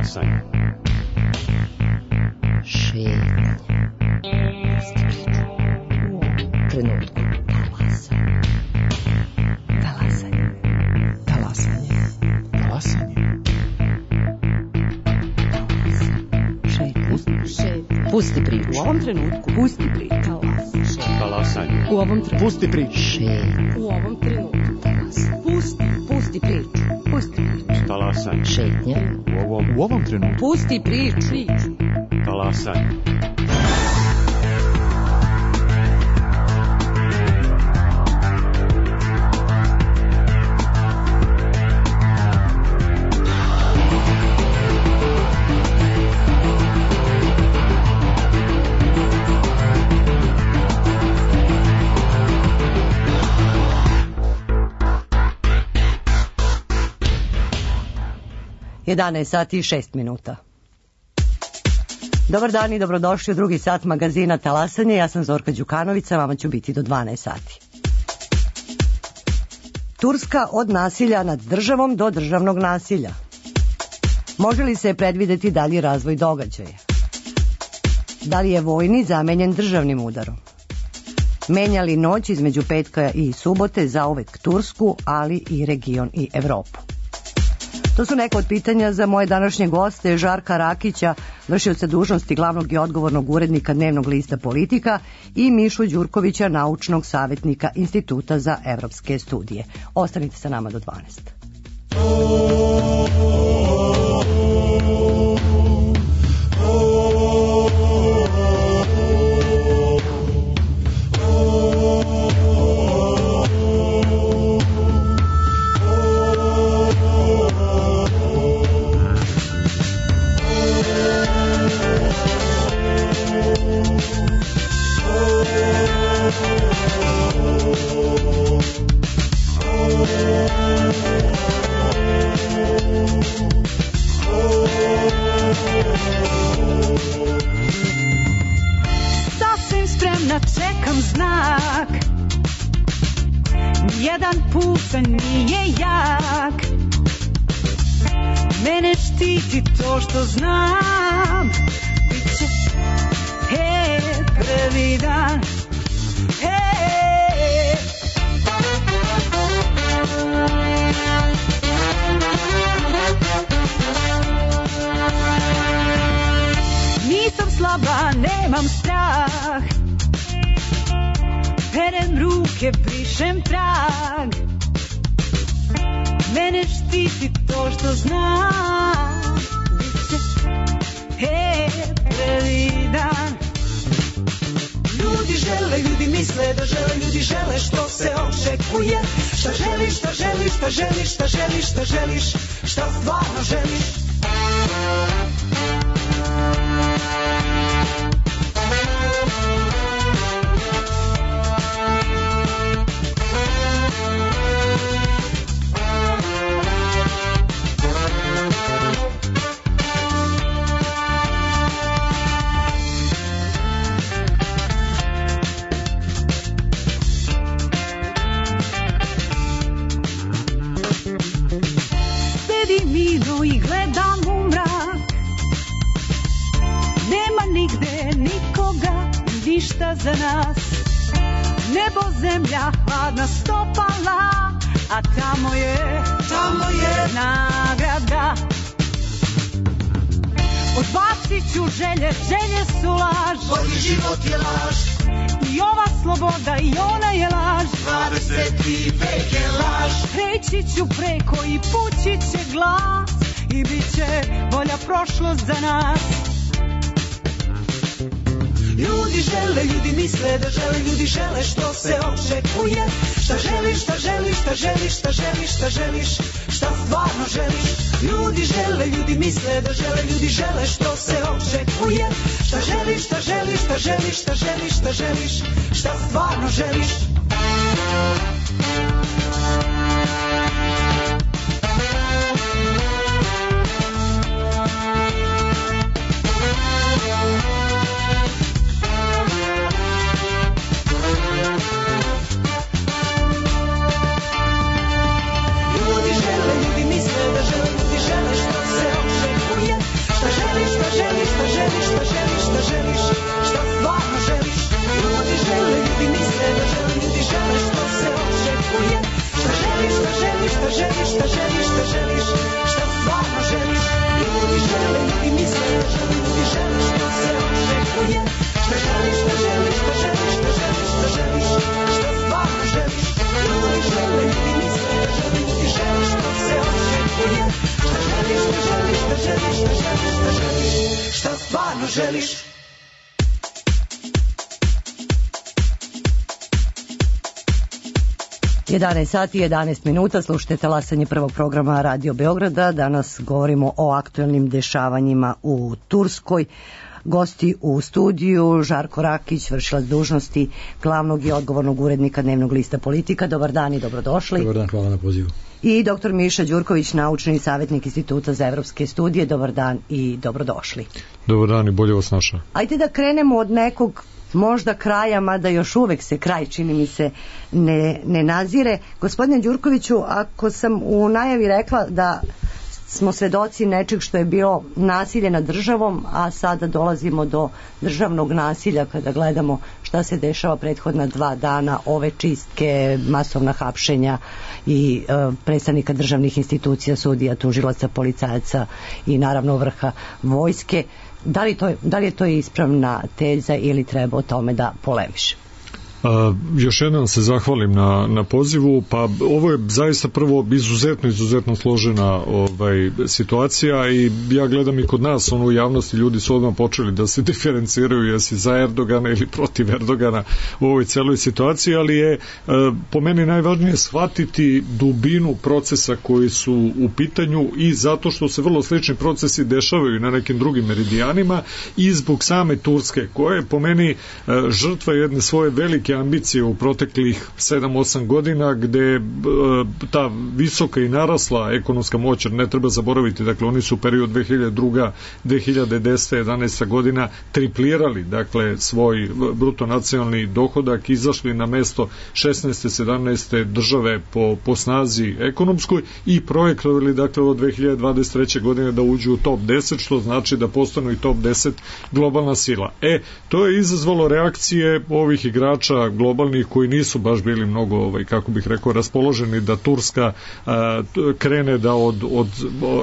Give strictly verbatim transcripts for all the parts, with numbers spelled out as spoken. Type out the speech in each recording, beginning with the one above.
Talasanje. Šetnja. U ovom trenutku. Talasanje. Talasanje. Talasanje. Šetnja. Pusti priču. U ovom trenutku. Pusti priču. Talasanje. U ovom trenutku. Pusti priču. Šetnja. U ovom trenutku. Pusti. Pusti priču. Pusti priču. Talasanje. Šetnja. U ovom, U ovom trenutku. Pusti priču. Priču. talasanje. jedanaest sati i šest minuta. Dobar dan i dobrodošli u drugi sat magazina Talasanje. Ja sam Zorka Đukanovića, vama ću biti do dvanaest sati. Turska od nasilja nad državom do državnog nasilja. Može li se predvideti dalji razvoj događaja? Da li je vojni zamenjen državnim udarom? Menja li noć između petka i subote zauvek Tursku, ali i region i Evropu? To su neka od pitanja za moje današnje goste, Žarka Rakića, vršioca dužnosti glavnog i odgovornog urednika dnevnog lista Politika, i Mišu Đurkovića, naučnog savjetnika Instituta za evropske studije. Ostanite sa nama do dvanaest. Sasvim spremna čekam znak. Nijedan pucanj nije jak. Mene štiti to što znam. Biće he, prvi dan. He. Nisam slaba, nemam strah. Perem ruke, brišem trag. Mene štiti to što znam. Biće he, prvi dan. Ljudi žele, ljudi misle da žele, ljudi žele što se očekuje. Šta želiš, šta želiš, šta želiš, šta želiš, šta želiš, šta stvarno želiš. I gledam u mrak. Nema nigde nikoga, ništa za nas. Nebo, zemlja, hladna stopala, a tamo je, tamo je nagrada. Odbacit ću želje, želje su laž. Bolji život je laž. I ova sloboda i ona je laž. dvadeseti vek je laž. Preći ću preko i pući će glas. I bit će bolja prošlost za nas. Ljudi žele, ljudi misle da žele, ljudi žele što se očekuje. Šta želiš, šta želiš, šta želiš, šta želiš, šta želiš, šta stvarno želiš. Ljudi žele, ljudi misle da žele, ljudi žele što se očekuje. Šta želiš, šta želiš, šta želiš, šta želiš, šta želiš, šta stvarno želiš. želiš. jedanaest sati i jedanaest minuta, slušajte talasanje prvog programa Radio Beograda. Danas govorimo o aktuelnim dešavanjima u Turskoj. Gosti u studiju Žarko Rakić, vršilac dužnosti glavnog i odgovornog urednika dnevnog lista Politika. Dobar dan i dobrodošli. Dobar dan, hvala na pozivu. I doktor Miša Đurković, naučni savjetnik Instituta za evropske studije. Dobar dan i dobrodošli. Dobar dan i bolje vas našao. Ajde da krenemo od nekog možda kraja, mada još uvek se kraj, čini mi se, ne, ne nazire. Gospodine Đurkoviću, ako sam u najavi rekla da smo svedoci nečeg što je bilo nasilje nad državom, a sada dolazimo do državnog nasilja kada gledamo šta se dešava prethodna dva dana, ove čistke, masovna hapšenja i e, predstavnika državnih institucija, sudija, tužilaca, policajaca i naravno vrha vojske. Da li, to, da li je to ispravna teza ili treba o tome da polemiše? A, još jednom se zahvalim na, na pozivu. Pa ovo je zaista prvo izuzetno, izuzetno složena ovaj, situacija i ja gledam i kod nas, ono, u javnosti ljudi su odmah počeli da se diferenciraju jesi za Erdogana ili protiv Erdogana u ovoj celoj situaciji, ali je a, po meni najvažnije shvatiti dubinu procesa koji su u pitanju i zato što se vrlo slični procesi dešavaju na nekim drugim meridijanima i zbog same Turske, koja je po meni a, žrtva jedne svoje velike ambicije u proteklih sedam osam godina, gde e, ta visoka i narasla ekonomska moć, ne treba zaboraviti, dakle oni su u periodu dve hiljade druge. dve hiljade desete. jedanaesta. godina triplirali, dakle, svoj bruto nacionalni dohodak, izašli na mesto šesnaeste. sedamnaeste. države po, po snazi ekonomskoj i projektovali, dakle, od dve hiljade dvadeset treće. godine da uđu u top deset, što znači da postanu i top deset globalna sila. E, to je izazvalo reakcije ovih igrača globalnih koji nisu baš bili mnogo, ovaj, kako bih rekao, raspoloženi da Turska a, krene da od, od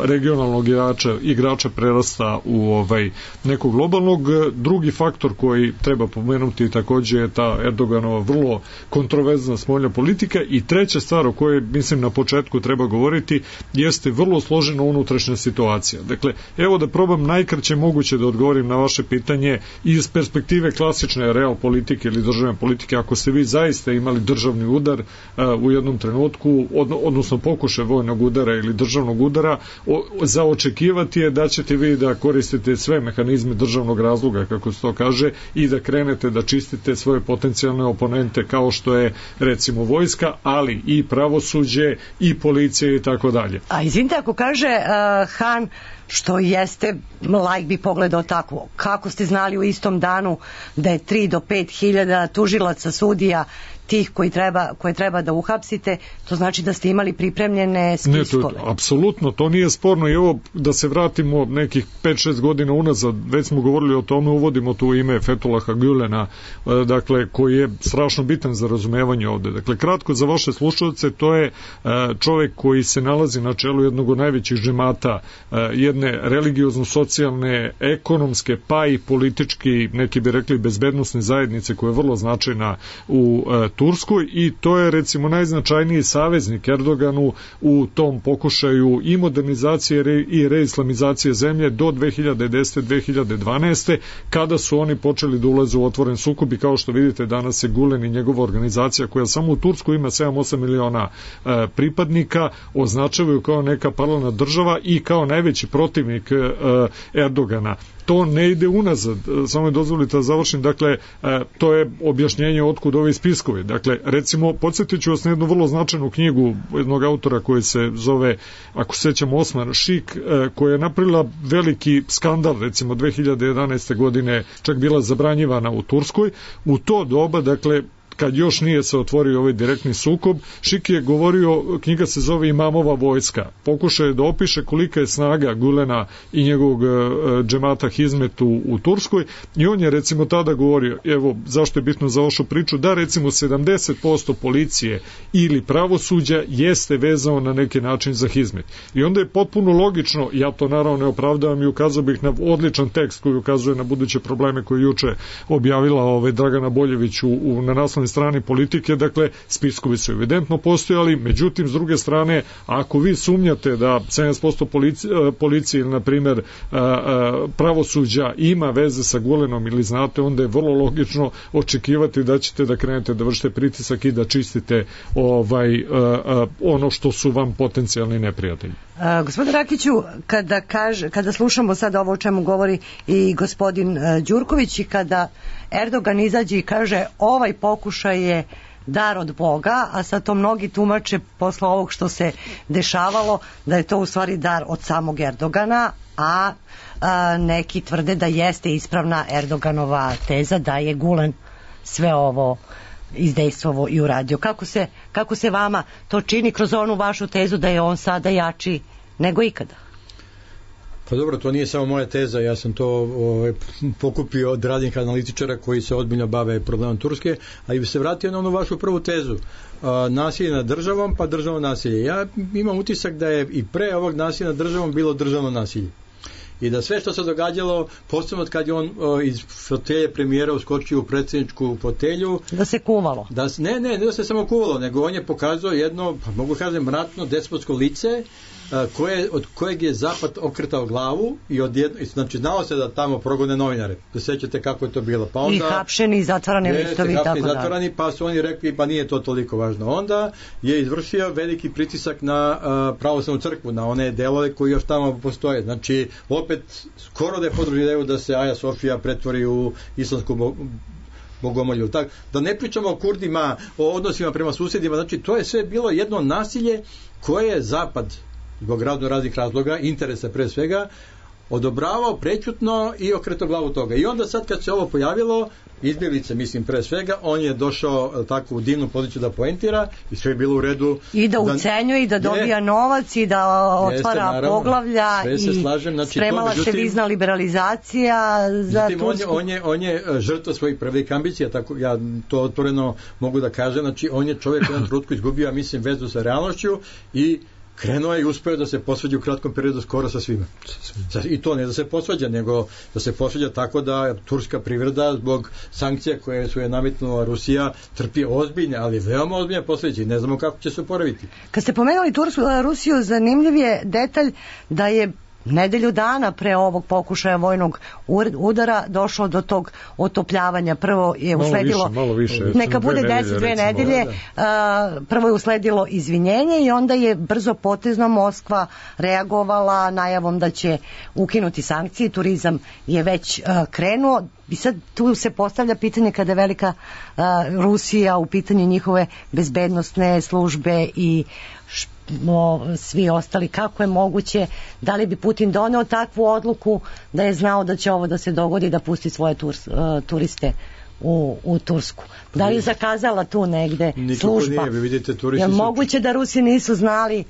regionalnog igrača, igrača prerasta u ovaj, nekog globalnog. Drugi faktor koji treba pomenuti takođe je ta Erdoganova vrlo kontroverzna spoljna politika i treća stvar o kojoj mislim na početku treba govoriti jeste vrlo složena unutrašnja situacija. Dakle, evo da probam najkraće moguće da odgovorim na vaše pitanje iz perspektive klasične real politike ili državne politike. Ako ste vi zaista imali državni udar uh, u jednom trenutku, od, odnosno pokušaj vojnog udara ili državnog udara, o, za očekivati je da ćete vi da koristite sve mehanizme državnog razloga, kako se to kaže, i da krenete da čistite svoje potencijalne oponente, kao što je recimo vojska, ali i pravosuđe i policija i tako dalje. A izvinite, ako kaže uh, Han, što jeste, lajk bi pogledao tako, kako ste znali u istom danu da je tri do pet hiljada tužilaca, sudija, tih koji treba, koje treba da uhapsite, to znači da ste imali pripremljene spiskove. Ne, to, apsolutno, to nije sporno. I evo, da se vratimo nekih pet šest godina unazad, već smo govorili o tome, uvodimo tu ime Fethullaha Gülena, dakle, koji je strašno bitan za razumevanje ovde. Dakle, kratko za vaše slušalce, to je čovek koji se nalazi na čelu jednog od najvećih džemata, jedne religiozno-socijalne, ekonomske, pa i politički, neki bi rekli bezbednosne zajednice, koja je vrlo značajna u Turskoj, i to je recimo najznačajniji saveznik Erdoganu u tom pokušaju i modernizacije i reislamizacije zemlje do dve hiljade desete. do dve hiljade dvanaeste. kada su oni počeli da ulaze u otvoren sukob, i kao što vidite danas je Gulen i njegova organizacija, koja samo u Tursku ima sedam osam miliona e, pripadnika, označavaju kao neka paralelna država i kao najveći protivnik e, Erdogana. To ne ide unazad, samo je dozvolite da završim, dakle, to je objašnjenje otkud ovi spiskovi. Dakle, recimo, podsjetit ću vas na jednu vrlo značajnu knjigu jednog autora koji se zove, ako se sećam, Osman Šik, koja je napravila veliki skandal, recimo dve hiljade jedanaeste. godine, čak bila zabranjivana u Turskoj. U to doba, dakle, kad još nije se otvorio ovaj direktni sukob, Šik je govorio, knjiga se zove Imamova vojska. Pokušao je da opiše kolika je snaga Gülena i njegovog džemata Hizmet u, u Turskoj, i on je recimo tada govorio, evo zašto je bitno za vašu priču, da recimo sedamdeset posto policije ili pravosuđa jeste vezano na neki način za Hizmet. I onda je potpuno logično, ja to naravno ne opravdavam i ukazao bih na odličan tekst koji ukazuje na buduće probleme koje juče objavila ovaj Dragana Boljević u, u, na naslovnoj desnoj strani politike, dakle spiskovi su evidentno postojali, međutim s druge strane, ako vi sumnjate da sedamdeset posto policije, policije na primjer pravosuđa ima veze sa Gulenom ili znate, onda je vrlo logično očekivati da ćete da krenete da vršite pritisak i da čistite ovaj ono što su vam potencijalni neprijatelji. Uh, gospodin Rakiću, kada, kaže, kada slušamo sad ovo o čemu govori i gospodin uh, Đurković i kada Erdogan izađe i kaže ovaj pokušaj je dar od Boga, a sad to mnogi tumače posle ovog što se dešavalo da je to u stvari dar od samog Erdogana, a, a neki tvrde da jeste ispravna Erdoganova teza da je Gulen sve ovo izdejstvovo i uradio. Kako se, kako se vama to čini kroz onu vašu tezu da je on sada jači nego ikada? Pa dobro, to nije samo moja teza, ja sam to ovaj, pokupio od radnih analitičara koji se ozbiljno bave problemom Turske, a i bi se vratio na onu vašu prvu tezu. A, nasilje nad državom, pa državno nasilje. Ja imam utisak da je i pre ovog nasilja nad državom bilo državno nasilje. I da sve što se događalo, posebno kad je on o, iz fotelje premijera uskočio u predsjedničku fotelju, da se kuvalo. Da, ne, ne, ne da se samo kuvalo, nego on je pokazao jedno, pa mogu kažem, mračno despotsko lice, a, koje, od kojeg je Zapad okretao glavu i odjedno, znači znalo se da tamo progone novinare. Da sećate kako je to bilo. Pa onda, I hapšeni i zatvarani listovi i tako da. Zatvarani, pa su oni rekli pa nije to toliko važno. Onda je izvršio veliki pritisak na a, pravoslavnu crkvu, na one delove koji još tamo postoje. Znači, opet skoro da je podružio da se Aja Sofija pretvori u islamsku bogomolju. Tak, da ne pričamo o Kurdima, o odnosima prema susjedima, znači to je sve bilo jedno nasilje koje je Zapad zbog razno raznih razloga, interesa pre svega, odobravao prećutno i okretao glavu toga. I onda sad kad se ovo pojavilo, izbjeglice, mislim, pre svega, on je došao tako u divnu poziciju da poentira i sve je bilo u redu. I da ucenjuje, i da dobija ne, novac, i da otvara jeste, poglavlja, i slažem, znači, spremala to, međutim, se vizna liberalizacija za međutim, Tursku. On je, on je, on je žrtva svojih prvih ambicija, tako ja to otvoreno mogu da kažem, znači on je čovjek u jednom trenutku izgubio, mislim, vezu sa realnošću i krenuo je i uspeo da se posvađa u kratkom periodu skoro sa svima. I to ne da se posvađa, nego da se posvađa tako da turska privreda zbog sankcija koje su je nametnula Rusija trpi ozbiljne, ali veoma ozbiljne posljedice. Ne znamo kako će se oporaviti. Kad ste pomenuli Tursku, Rusiju, zanimljiv je detalj da je nedelju dana pre ovog pokušaja vojnog udara došlo do tog otopljavanja. Prvo je usledilo, malo više, malo više, neka bude deset, dve nedelje, da. prvo je usledilo izvinjenje i onda je brzo potezno Moskva reagovala najavom da će ukinuti sankcije, turizam je već uh, krenuo. I sad tu se postavlja pitanje kada je velika uh, Rusija u pitanju njihove bezbednosne službe i No, svi ostali, kako je moguće, da li bi Putin doneo takvu odluku da je znao da će ovo da se dogodi, da pusti svoje turs, uh, turiste u, u Tursku. Da li je zakazala tu negde nikako služba? Nije, vi vidite, turisti je su... moguće da Rusi nisu znali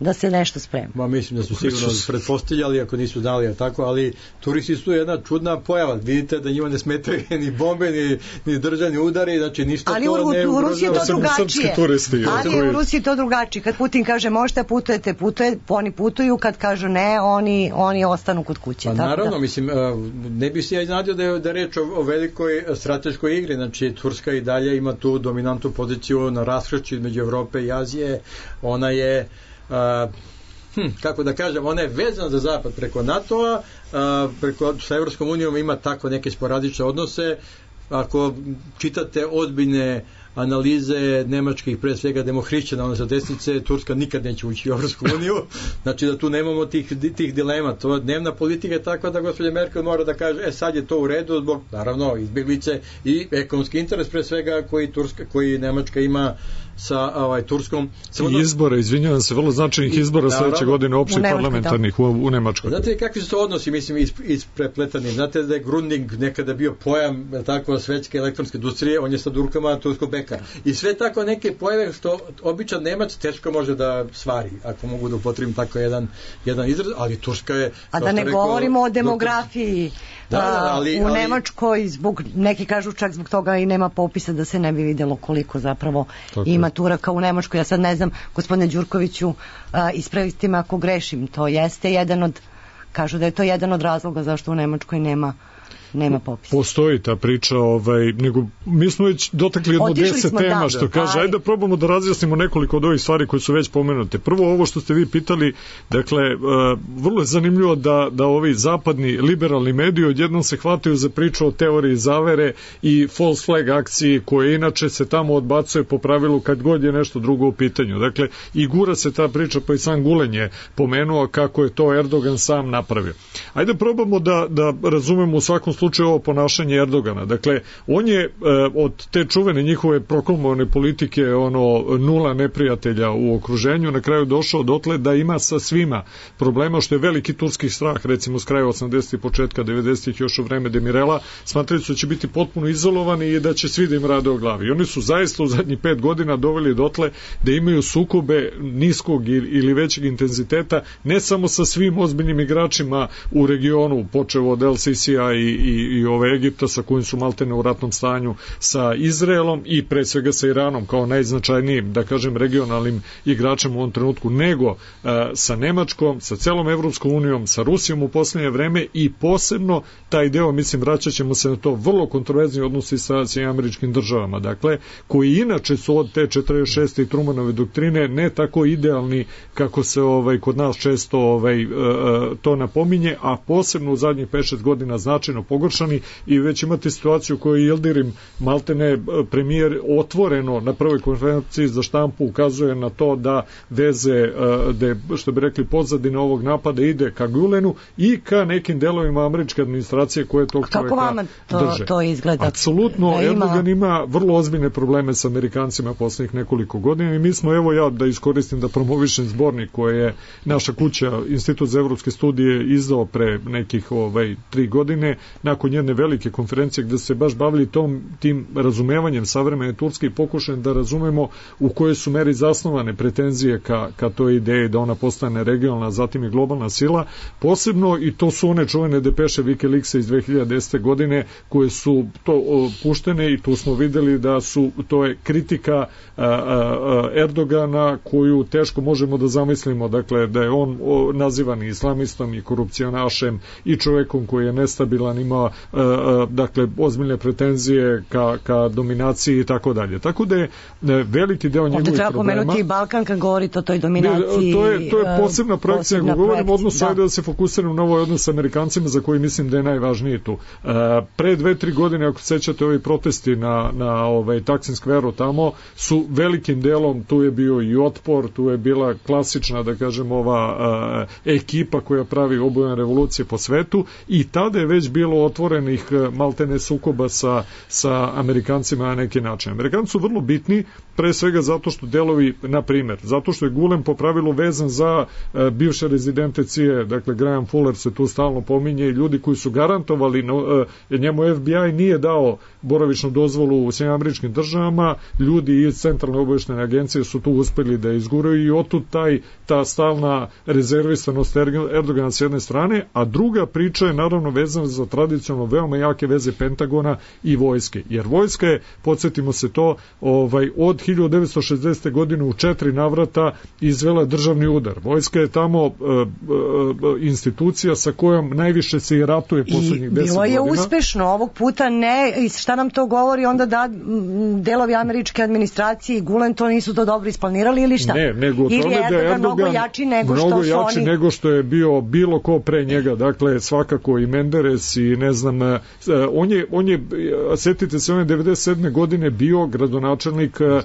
da se nešto sprema? Ma mislim da su sigurno pretpostavljali ako nisu znali, tako, ali turisti su jedna čudna pojava. Vidite da njima ne smetaju ni bombe, ni, ni državni udari, znači ništa ali to u, ne u Rusiji je to drugačije. Turisti, ali u Rusiji je to drugačije. Kad Putin kaže možete putujete, putuje, oni putuju, kad kažu ne, oni, oni ostanu kod kuće. Pa tako naravno, da. mislim, ne bi se ja iznadio da je, da je reč o, o velikoj strateškoj igri, znači Turska i dalje ima tu dominantnu poziciju na raskršću između Evrope i Azije, ona je Uh, hm, kako da kažem, ona je vezana za zapad preko NATO-a, uh, preko, sa Evropskom unijom ima tako neke sporadične odnose. Ako čitate ozbiljne analize nemačkih, pre svega demohrišćana, one sa desnice, Turska nikad neće ući u Evropsku uniju, znači da tu nemamo tih, tih dilema. To dnevna politika je takva da gospođa Merkel mora da kaže, e sad je to u redu zbog, naravno, izbjeglice i ekonomski interes pre svega koji, Turska, koji Nemačka ima sa ovaj, Turskom. Samo I izbora, izvinjavam se, vrlo značajnih izbora sljedeće godine opštih parlamentarnih u, u Nemačkoj. Znate kakvi su to odnosi, mislim, is, isprepletani. Znate da je Grunding nekada bio pojam tako svetske elektronske industrije, on je sad u rukama turskog beka. I sve tako neke pojave što običan Nemac teško može da svari, ako mogu da upotrebim tako jedan, jedan izraz, ali Turska je... A da ne rekao, govorimo o demografiji. Da, da, ali, u ali, Nemačkoj zbog, neki kažu čak zbog toga i nema popisa da se ne bi vidjelo koliko zapravo tako ima Turaka u Nemačkoj. Ja sad ne znam, gospodine Đurkoviću, a, ispravite me ako grešim, to jeste jedan od, kažu da je to jedan od razloga zašto u Nemačkoj nema nema popisa. Postoji ta priča, ovaj, nego mi smo već dotakli jedno deset smo, tema, da, što kaže, aj. ajde da probamo da razjasnimo nekoliko od ovih stvari koje su već pomenute. Prvo, ovo što ste vi pitali, dakle, uh, vrlo je zanimljivo da, da ovi zapadni liberalni mediji odjednom se hvataju za priču o teoriji zavere i false flag akciji, koje inače se tamo odbacuje po pravilu kad god je nešto drugo u pitanju. Dakle, i gura se ta priča, pa i sam Gulen je pomenuo kako je to Erdogan sam napravio. Ajde probamo da, da razumemo u svakom slučaju ovo ponašanje Erdogana. Dakle, on je e, od te čuvene njihove proklamovane politike, ono, nula neprijatelja u okruženju, na kraju došao dotle da ima sa svima problema, što je veliki turski strah, recimo s kraja osamdesetih, početka devedesetih, još u vreme Demirela, smatrali su da će biti potpuno izolovani i da će svi da im rade o glavi. I oni su zaista u zadnjih pet godina doveli dotle da imaju sukobe niskog ili većeg intenziteta, ne samo sa svim ozbiljnim igračima u regionu, počevo od El Sisija i, i, i ove Egipta sa kojim su maltene u ratnom stanju, sa Izraelom i pre svega sa Iranom kao najznačajnijim, da kažem, regionalnim igračem u ovom trenutku, nego uh, sa Nemačkom, sa celom Evropskom unijom, sa Rusijom u posljednje vreme i posebno taj deo, mislim, vraćat ćemo se na to, vrlo kontroverzni odnosi sa Sjedinjenim Američkim Državama, dakle, koji inače su od te četrdeset šeste i Trumanove doktrine ne tako idealni kako se ovaj kod nas često ovaj uh, to napominje, a posebno u zadnjih pet šest godina značajno pogoršani i već imate situaciju koju je Yildirim maltene premijer otvoreno na prvoj konferenciji za štampu ukazuje na to da veze, da što bi rekli pozadine ovog napada ide ka Gulenu i ka nekim delovima američke administracije koje tog čovjeka drže. Kako vama to, to izgleda? Apsolutno, da ima... Erdogan ima vrlo ozbiljne probleme sa Amerikancima poslednjih nekoliko godina i mi smo, evo ja da iskoristim da promovišem zbornik koje je naša kuća, Institut za evropske studije, izdao pre nekih ovaj, tri godine, nakon jedne velike konferencije gde se baš bavili tom, tim razumevanjem savremene Turske i pokušajem da razumemo u kojoj su meri zasnovane pretenzije ka, ka toj ideji da ona postane regionalna, zatim i globalna sila, posebno i to su one čuvene depeše Wikileaksa iz dve hiljade desete godine koje su to o, puštene i tu smo videli da su, to je kritika a, a, Erdogana koju teško možemo da zamislimo, dakle da je on o, nazivan islamistom i korupcionašem i čovekom koji je nestabilan, ima a, a, dakle ozbiljne pretenzije ka, ka dominaciji i tako dalje. Tako da je veliki deo njegovih problema... Ovdje treba pomenuti i Balkan kad govorite o toj dominaciji. To je, to je posebna projekcija. Ako govorimo odnos, da. Ajde da se fokusiramo na ovaj odnos s Amerikancima za koji mislim da je najvažniji tu. Uh, pre dve, tri godine, ako sećate, ovi protesti na, na ovaj, Taksim skveru tamo su velikim delom, tu je bio i otpor, tu je bila klasična, da kažem, ova uh, ekipa koja pravi obojene revolucije po svetu i tada je već bilo otvorenih maltene sukoba sa, sa Amerikancima na neki način. Amerikanci su vrlo bitni, pre svega zato što delovi, na primjer, zato što je Gulen po pravilu vezan za uh, bivše rezidente C I A, dakle Graham Fuller se tu stalno pominje i ljudi koji su garantovali, no, uh, njemu F B I nije dao boravišnu dozvolu u Sjedinjenim Američkim Državama, ljudi iz Centralne obavještajne agencije su tu uspeli da izguraju i otud taj, ta stalna rezervisanost Erdogana s jedne strane, a druga priča je naravno vezana za tradicionalno veoma jake veze Pentagona i vojske, jer vojska je, podsjetimo se to, ovaj, od hiljadu devetsto šezdesete godine u četiri navrata izvela državni udar. Vojska je tamo uh, uh, institucija sa kojom najviše se i ratuje poslednjih deset godina. I bilo je uspešno, ovog puta ne, i šta nam to govori onda da delovi američke administracije i Gulen to nisu to dobro isplanirali ili šta? Ne, nego ili tome da je Erdogan mnogo jači nego mnogo što su jači oni... nego što je bio bilo ko pre njega, dakle svakako i Menderes i ne znam, uh, on je, on je, setite se, on je devedeset sedme godine bio gradonačelnik uh,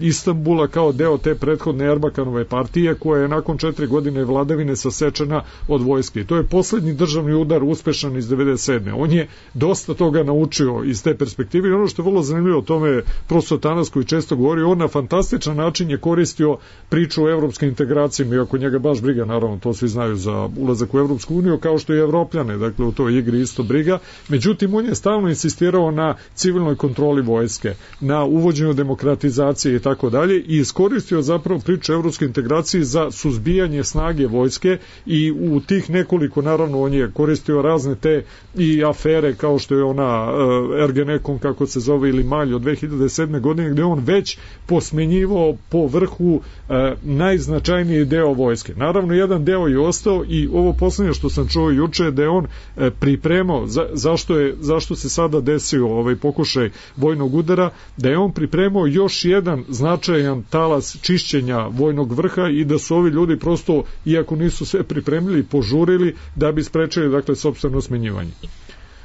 Istanbula kao deo te prethodne Erbakanove partije koja je nakon četiri godine vladavine sasečena od vojske. To je poslednji državni udar uspešan iz devedeset sedme. On je dosta toga naučio iz te perspektive i ono što je vrlo zanimljivo o tome profesor Tanas koji često govori, on na fantastičan način je koristio priču o evropskim integracijama, iako njega baš briga, naravno, to svi znaju za ulazak u Evropsku uniju, kao što i Evropljane, dakle u toj igri isto briga. Međutim, on je stalno insistirao na civilnoj kontroli vojske, na uvođenju demokratizacije i tako dalje i iskoristio zapravo priču o evropskoj integraciji za suzbijanje snage vojske i u tih nekoliko, naravno, on je koristio razne te i afere kao što je ona uh, Ergenekon, kako se zove, ili Malj od dve hiljade sedme godine, gde on već posmenjivao po vrhu uh, najznačajniji deo vojske. Naravno, jedan deo je ostao i ovo poslednje što sam čuo juče da je on uh, pripremio pripremao, za, zašto, je, zašto se sada desio ovaj pokušaj vojnog udara, da je on pripremao još jedan značajan talas čišćenja vojnog vrha i da su ovi ljudi prosto, iako nisu sve pripremili, požurili da bi sprečili, dakle, sopstveno smenjivanje.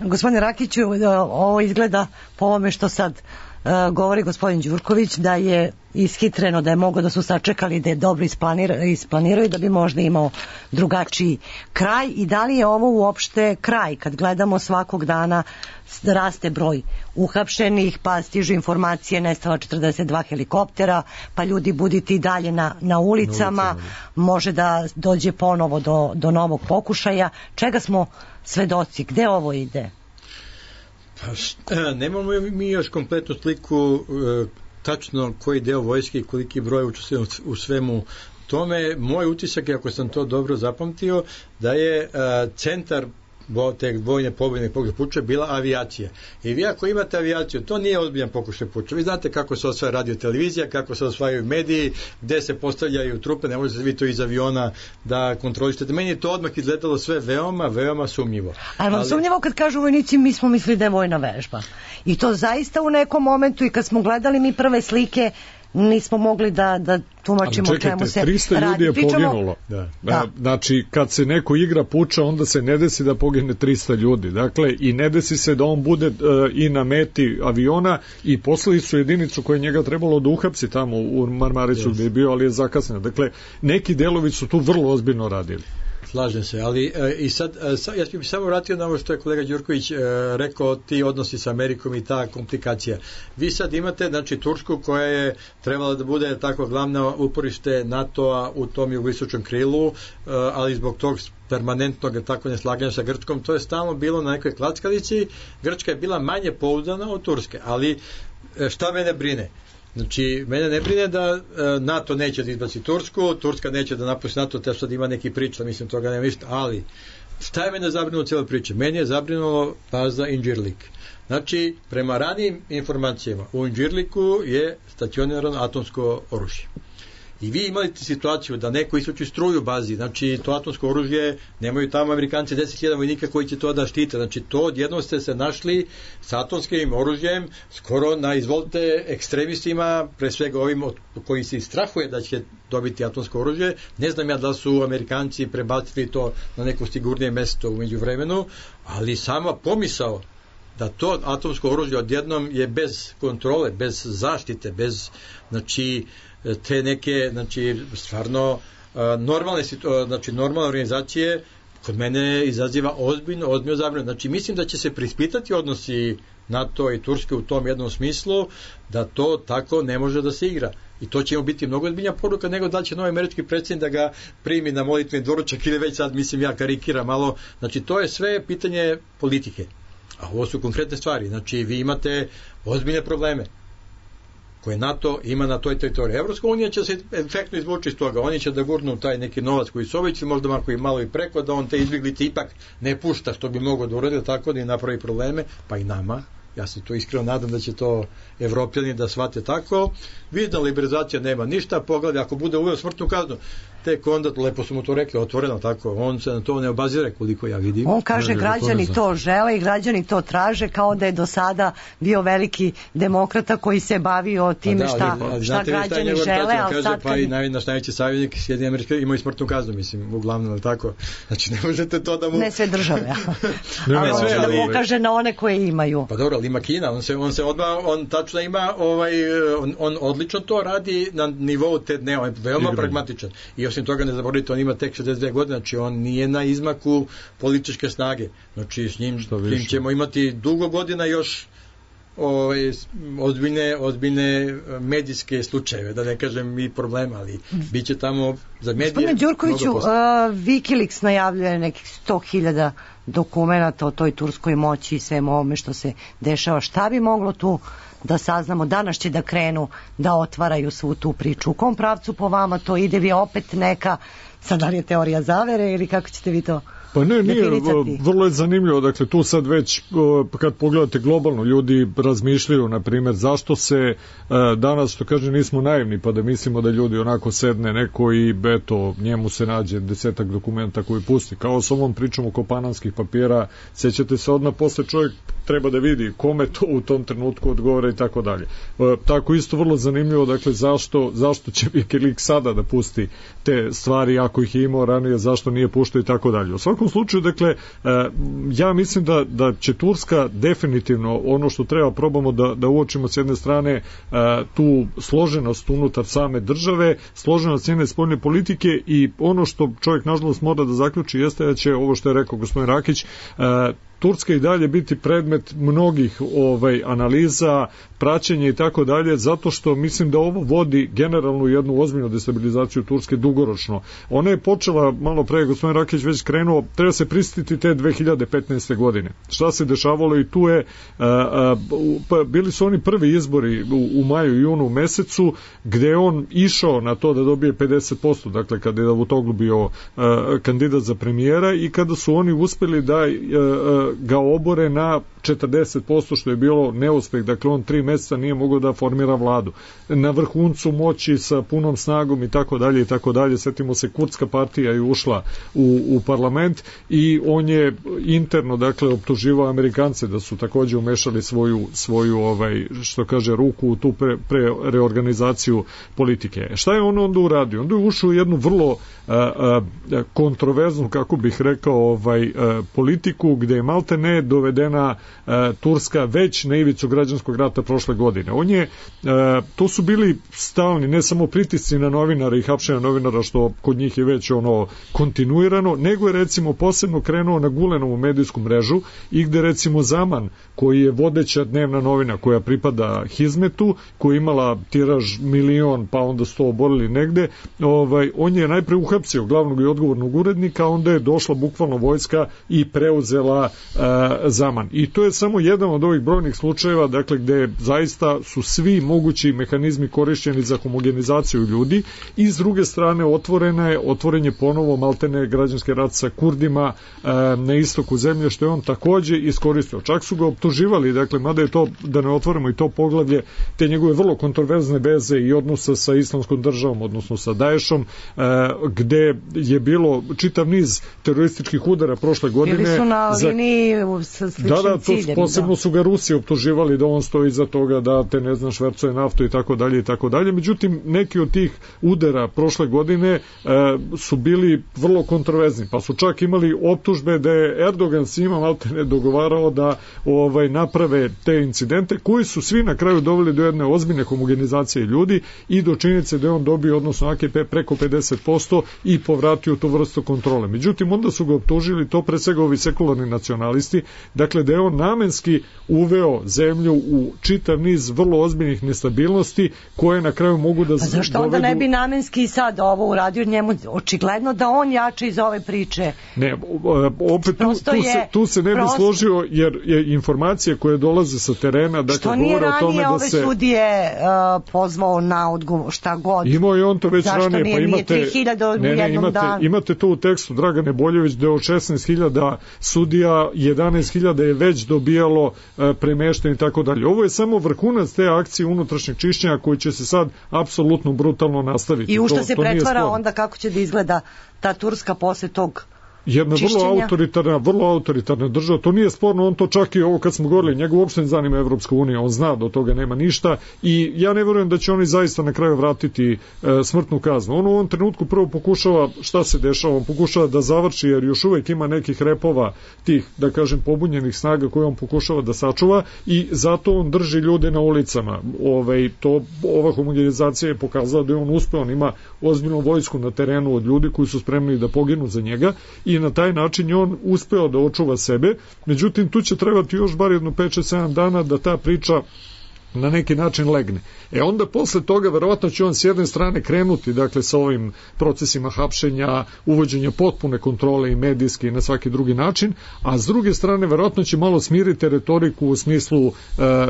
Gospodine Rakiću, ovo izgleda po ovome što sad uh, govori gospodin Đurković, da je ishitreno, da je mogo da su sačekali, da je dobro isplanira, isplaniraju, da bi možda imao drugačiji kraj. I da li je ovo uopšte kraj, kad gledamo svakog dana raste broj uhapšenih, pa stižu informacije, nestala četrdeset dva helikoptera, pa ljudi buditi dalje na, na ulicama, na ulicama, može da dođe ponovo do, do novog pokušaja. Čega smo svedoci? Gde ovo ide? Pa šta, nemamo mi još kompletnu sliku e, tačno koji deo vojske i koliki broj učestvuje u svemu tome. Moj utisak je, ako sam to dobro zapamtio, da je e, centar te vojne pobjedne pokušaja puča bila avijacija. I vi ako imate avijaciju, to nije ozbiljan pokušaj puča. Vi znate kako se osvaja radio televizija, kako se osvajaju mediji, gde se postavljaju trupe, ne možete vi to iz aviona da kontrolišete. Meni je to odmah izgledalo sve veoma, veoma sumnjivo. Ali vam Ali... sumnjivo kad kažu vojnici, mi smo mislili da je vojna vežba. I to zaista u nekom momentu, i kad smo gledali mi prve slike, nismo mogli da, da tumačimo o čemu se radi. trista ljudi je Pričamo... poginulo. Da. Da. Znači, kad se neko igra puča, onda se ne desi da pogine trista ljudi. Dakle, i ne desi se da on bude uh, i na meti aviona i poslali su jedinicu koja je njega trebalo da uhapsi tamo u Marmariću yes. gde je bio, ali je zakasneno. Dakle, neki delovi su tu vrlo ozbiljno radili. Slažem se, ali e, i sad, e, sa, ja bih samo vratio na ovo što je kolega Đurković e, rekao, ti odnosi sa Amerikom i ta komplikacija. Vi sad imate, znači, Tursku koja je trebala da bude tako glavna uporište NATO-a u tom jugoistočnom krilu, e, ali zbog tog permanentnog tako neslaganja sa Grčkom, to je stalno bilo na nekoj klackalici. Grčka je bila manje pouzdana od Turske, ali e, šta mene brine? Znači, mene ne brine da e, NATO neće da izbaci Tursku, Turska neće da napusti NATO, te sad ima neki priča, mislim, toga nema ništa, ali šta je mene zabrinulo cijela priča? Meni je zabrinulo baza Inđirlik. Znači, prema ranijim informacijama, u Inđirliku je stacionirano atomsko oružje. I vi imate situaciju da neko isključi struju u bazi, znači to atomsko oružje, nemaju tamo Amerikanci deset hiljada vojnika koji će to da štite, znači to odjednom ste se našli s atomskim oružjem, skoro na izvolite ekstremistima, pre svega ovim od koji se strahuje da će dobiti atomsko oružje. Ne znam ja da su Amerikanci prebacili to na neko sigurnije mesto u međuvremenu, ali sama pomisao da to atomsko oružje odjednom je bez kontrole, bez zaštite, bez, znači, te neke, znači, stvarno normalne, znači, normalne organizacije kod mene izaziva ozbiljno, ozbiljno zabrinutost. Znači, mislim da će se preispitati odnosi NATO i Turske u tom jednom smislu, da to tako ne može da se igra. I to će mu biti mnogo ozbiljnija poruka nego da će novi američki predsjednik da ga primi na molitveni doručak ili već sad, mislim, ja karikiram malo. Znači, to je sve pitanje politike. A ovo su konkretne stvari. Znači, vi imate ozbiljne probleme koje NATO ima na toj teritoriji. Evropska unija će se efektno izvući iz toga. Oni će da gurnu taj neki novac koji su oveći, možda mako i malo i preko, da on te izbjeglice ipak ne pušta, što bi mogao da uradi, tako da i napravi probleme, pa i nama. Ja se to iskreno nadam da će to Evropljani da shvate tako. Vidna liberalizacija nema ništa, pogledaj, ako bude uveo smrtnu kaznu, tek onda, lepo su mu to rekli, otvoreno tako, on se na to ne obazire koliko ja vidim. On kaže, građani to žele i građani to traže, kao da je do sada bio veliki demokrata koji se bavio time šta, ali, ali, šta građani žele, ali kaže, sad... Pa i naj, naš najveći savjetnik Sjedinjene Amerike imaju smrtnu kaznu, mislim, uglavnom, ali tako. Znači, ne možete to da mu... Ne sve države, ne, ali ne sve, da mu ukaže na one koje imaju. Pa dobro, ali ima Kina, on se, on se odmah, on tačno ima, ovaj, on, on odlično to radi na nivou te dne, on je veoma Igram. pragmatičan. I osim toga ne zaboravite, on ima tek šezdeset dve godine, znači on nije na izmaku političke snage. Znači s njim, s njim ćemo imati dugo godina još ovaj, ozbiljne, ozbiljne medijske slučajeve, da ne kažem i problema, ali bit će tamo za medije. Gospodine Đurkoviću, uh, Wikileaks najavljuje nekih sto hiljada dokumenata o toj turskoj moći i svemu ovome što se dešava. Šta bi moglo tu da saznamo? Danas će da krenu da otvaraju svu tu priču. U kom pravcu po vama to ide? Vi opet neka, sad da li je teorija zavere ili kako ćete vi to Pa ne, nije, definicati? vrlo je zanimljivo, dakle tu sad već kad pogledate globalno, ljudi razmišljaju, na primjer, zašto se danas, što kaže, nismo naivni pa da mislimo da ljudi onako sedne neko i eto, njemu se nađe desetak dokumenta koji pusti, kao s ovom pričom oko panamskih papira, sećate se odmah posle čovjek treba da vidi kome to u tom trenutku odgovara i tako dalje. Tako isto vrlo zanimljivo, dakle zašto, zašto će Wikileaks sada da pusti te stvari ako ih je imao ranije, zašto nije puštao i tako dalje. U svakom slučaju, dakle, ja mislim da, da će Turska definitivno, ono što treba probamo da, da uočimo s jedne strane tu složenost unutar same države, složenost njene spoljne politike i ono što čovjek nažalost mora da zaključi jeste da će, ovo što je rekao gospodin Rakić, Turska i dalje biti predmet mnogih ovaj analiza, praćenja i tako dalje, zato što mislim da ovo vodi generalnu jednu ozbiljnu destabilizaciju Turske dugoročno. Ona je počela, malo pre gospodin Rakić već krenuo, treba se prisjetiti te dve hiljade petnaeste. godine. Šta se dešavalo i tu je, a, a, pa bili su oni prvi izbori u, u maju i junu mesecu, gde je on išao na to da dobije pedeset posto, dakle kada je Davutoglu bio a, kandidat za premijera i kada su oni uspeli da a, a, ga obore na četrdeset posto, što je bilo neuspeh, dakle on tri meseca nije mogao da formira vladu. Na vrhuncu moći sa punom snagom i tako dalje i tako dalje, setimo se, Kurdska partija je ušla u, u parlament i on je interno, dakle, optuživao Amerikance da su takođe umešali svoju, svoju ovaj, što kaže, ruku u tu pre, pre reorganizaciju politike. Šta je on onda uradio? Onda je ušao u jednu vrlo a, a, kontroverznu, kako bih rekao, ovaj, a, politiku gde je malte ne dovedena Turska već na ivicu građanskog rata prošle godine. On je, to su bili stalni, ne samo pritisci na novinara i hapšenja novinara, što kod njih je već ono kontinuirano, nego je recimo posebno krenuo na Gulenovu medijsku mrežu i gde recimo Zaman, koji je vodeća dnevna novina koja pripada Hizmetu, koja je imala tiraž milion, pa onda sto oborili negde, ovaj, on je najpre uhapsio glavnog i odgovornog urednika, onda je došla bukvalno vojska i preuzela uh, Zaman. I to je samo jedan od ovih brojnih slučajeva, dakle, gde zaista su svi mogući mehanizmi korišćeni za homogenizaciju ljudi i s druge strane otvorena je, otvoren je ponovo maltene građanski rat sa Kurdima e, na istoku zemlje, što je on takođe iskoristio. Čak su ga optuživali, dakle, mada je to, da ne otvorimo i to poglavlje, te njegove vrlo kontroverzne veze i odnosa sa islamskom državom, odnosno sa Daešom, e, gde je bilo čitav niz terorističkih udara prošle godine. Bili su na liniji sa sličnim da, da, to ciljem. Posebno da. su ga Rusi optuživali da on stoji iza toga, da te ne znam švercuje naftu i tako dalje i tako dalje. Međutim, neki od tih udara prošle godine e, su bili vrlo kontroverzni, pa su čak imali optužbe da je Erdogan s njima maltene dogovarao da ovaj naprave te incidente, koji su svi na kraju doveli do jedne ozbiljne homogenizacije ljudi i do činjenice da je on dobio, odnosno A K P, preko pedeset posto i povratio tu vrstu kontrole. Međutim, onda su ga optužili, to pre svega ovi sekularni nacionalisti, dakle da je on namenski uveo zemlju u čitav niz vrlo ozbiljnih nestabilnosti koje na kraju mogu da dovedu... A zašto onda ne bi namenski sad ovo uradio njemu? Očigledno da on jače iz ove priče. Ne, opet tu, tu, se, tu se ne bi prosto... složio, jer je informacije koje dolaze sa terena, dakle, govore o tome da se... Što nije ranije ove sudije uh, pozvao na odgovor, šta god? Imao je on to već zašto ranije, nije, pa imate... tri hiljade u ne, ne, jednom imate, danu. Imate to u tekstu Dragane Boljević da od šesnaest hiljada sudija jedanaest hiljada je već dobijalo uh, premeštanje i tako dalje. Ovo je samo vrhunac te akcije unutrašnjeg čišćenja koji će se sad apsolutno brutalno nastaviti. I u što to, se to pretvara onda, kako će da izgleda ta Turska posle tog jedna čišćenja? vrlo autoritarna, vrlo autoritarna država, to nije sporno, on to čak i ovo kad smo govorili, njega uopšte ne zanima Evropska unija, on zna da od toga nema ništa i ja ne verujem da će oni zaista na kraju vratiti e, smrtnu kaznu. On u ovom trenutku prvo pokušava, šta se dešava, on pokušava da završi, jer još uvek ima nekih repova tih, da kažem, pobunjenih snaga koje on pokušava da sačuva i zato on drži ljude na ulicama. Ove, to, ova homogenizacija je pokazala da je on uspeo, on ima ozbiljnu vojsku na terenu od ljudi koji su spremni da poginu za njega i na taj način je on uspeo da očuva sebe. Međutim, tu će trebati još bar jedno pet šest sedam dana da ta priča na neki način legne. E onda posle toga verovatno će on s jedne strane krenuti, dakle, sa ovim procesima hapšenja, uvođenja potpune kontrole i medijske i na svaki drugi način, a s druge strane verovatno će malo smiriti retoriku u smislu e,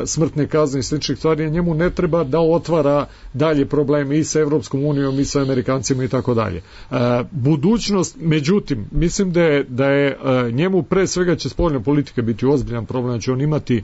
smrtne kazne i sličnih stvari, a njemu ne treba da otvara dalje probleme i sa Evropskom unijom i sa Amerikancima i tako dalje. Budućnost, međutim, mislim da je, da je e, njemu pre svega će spoljna politika biti ozbiljan problem, će on imati, e,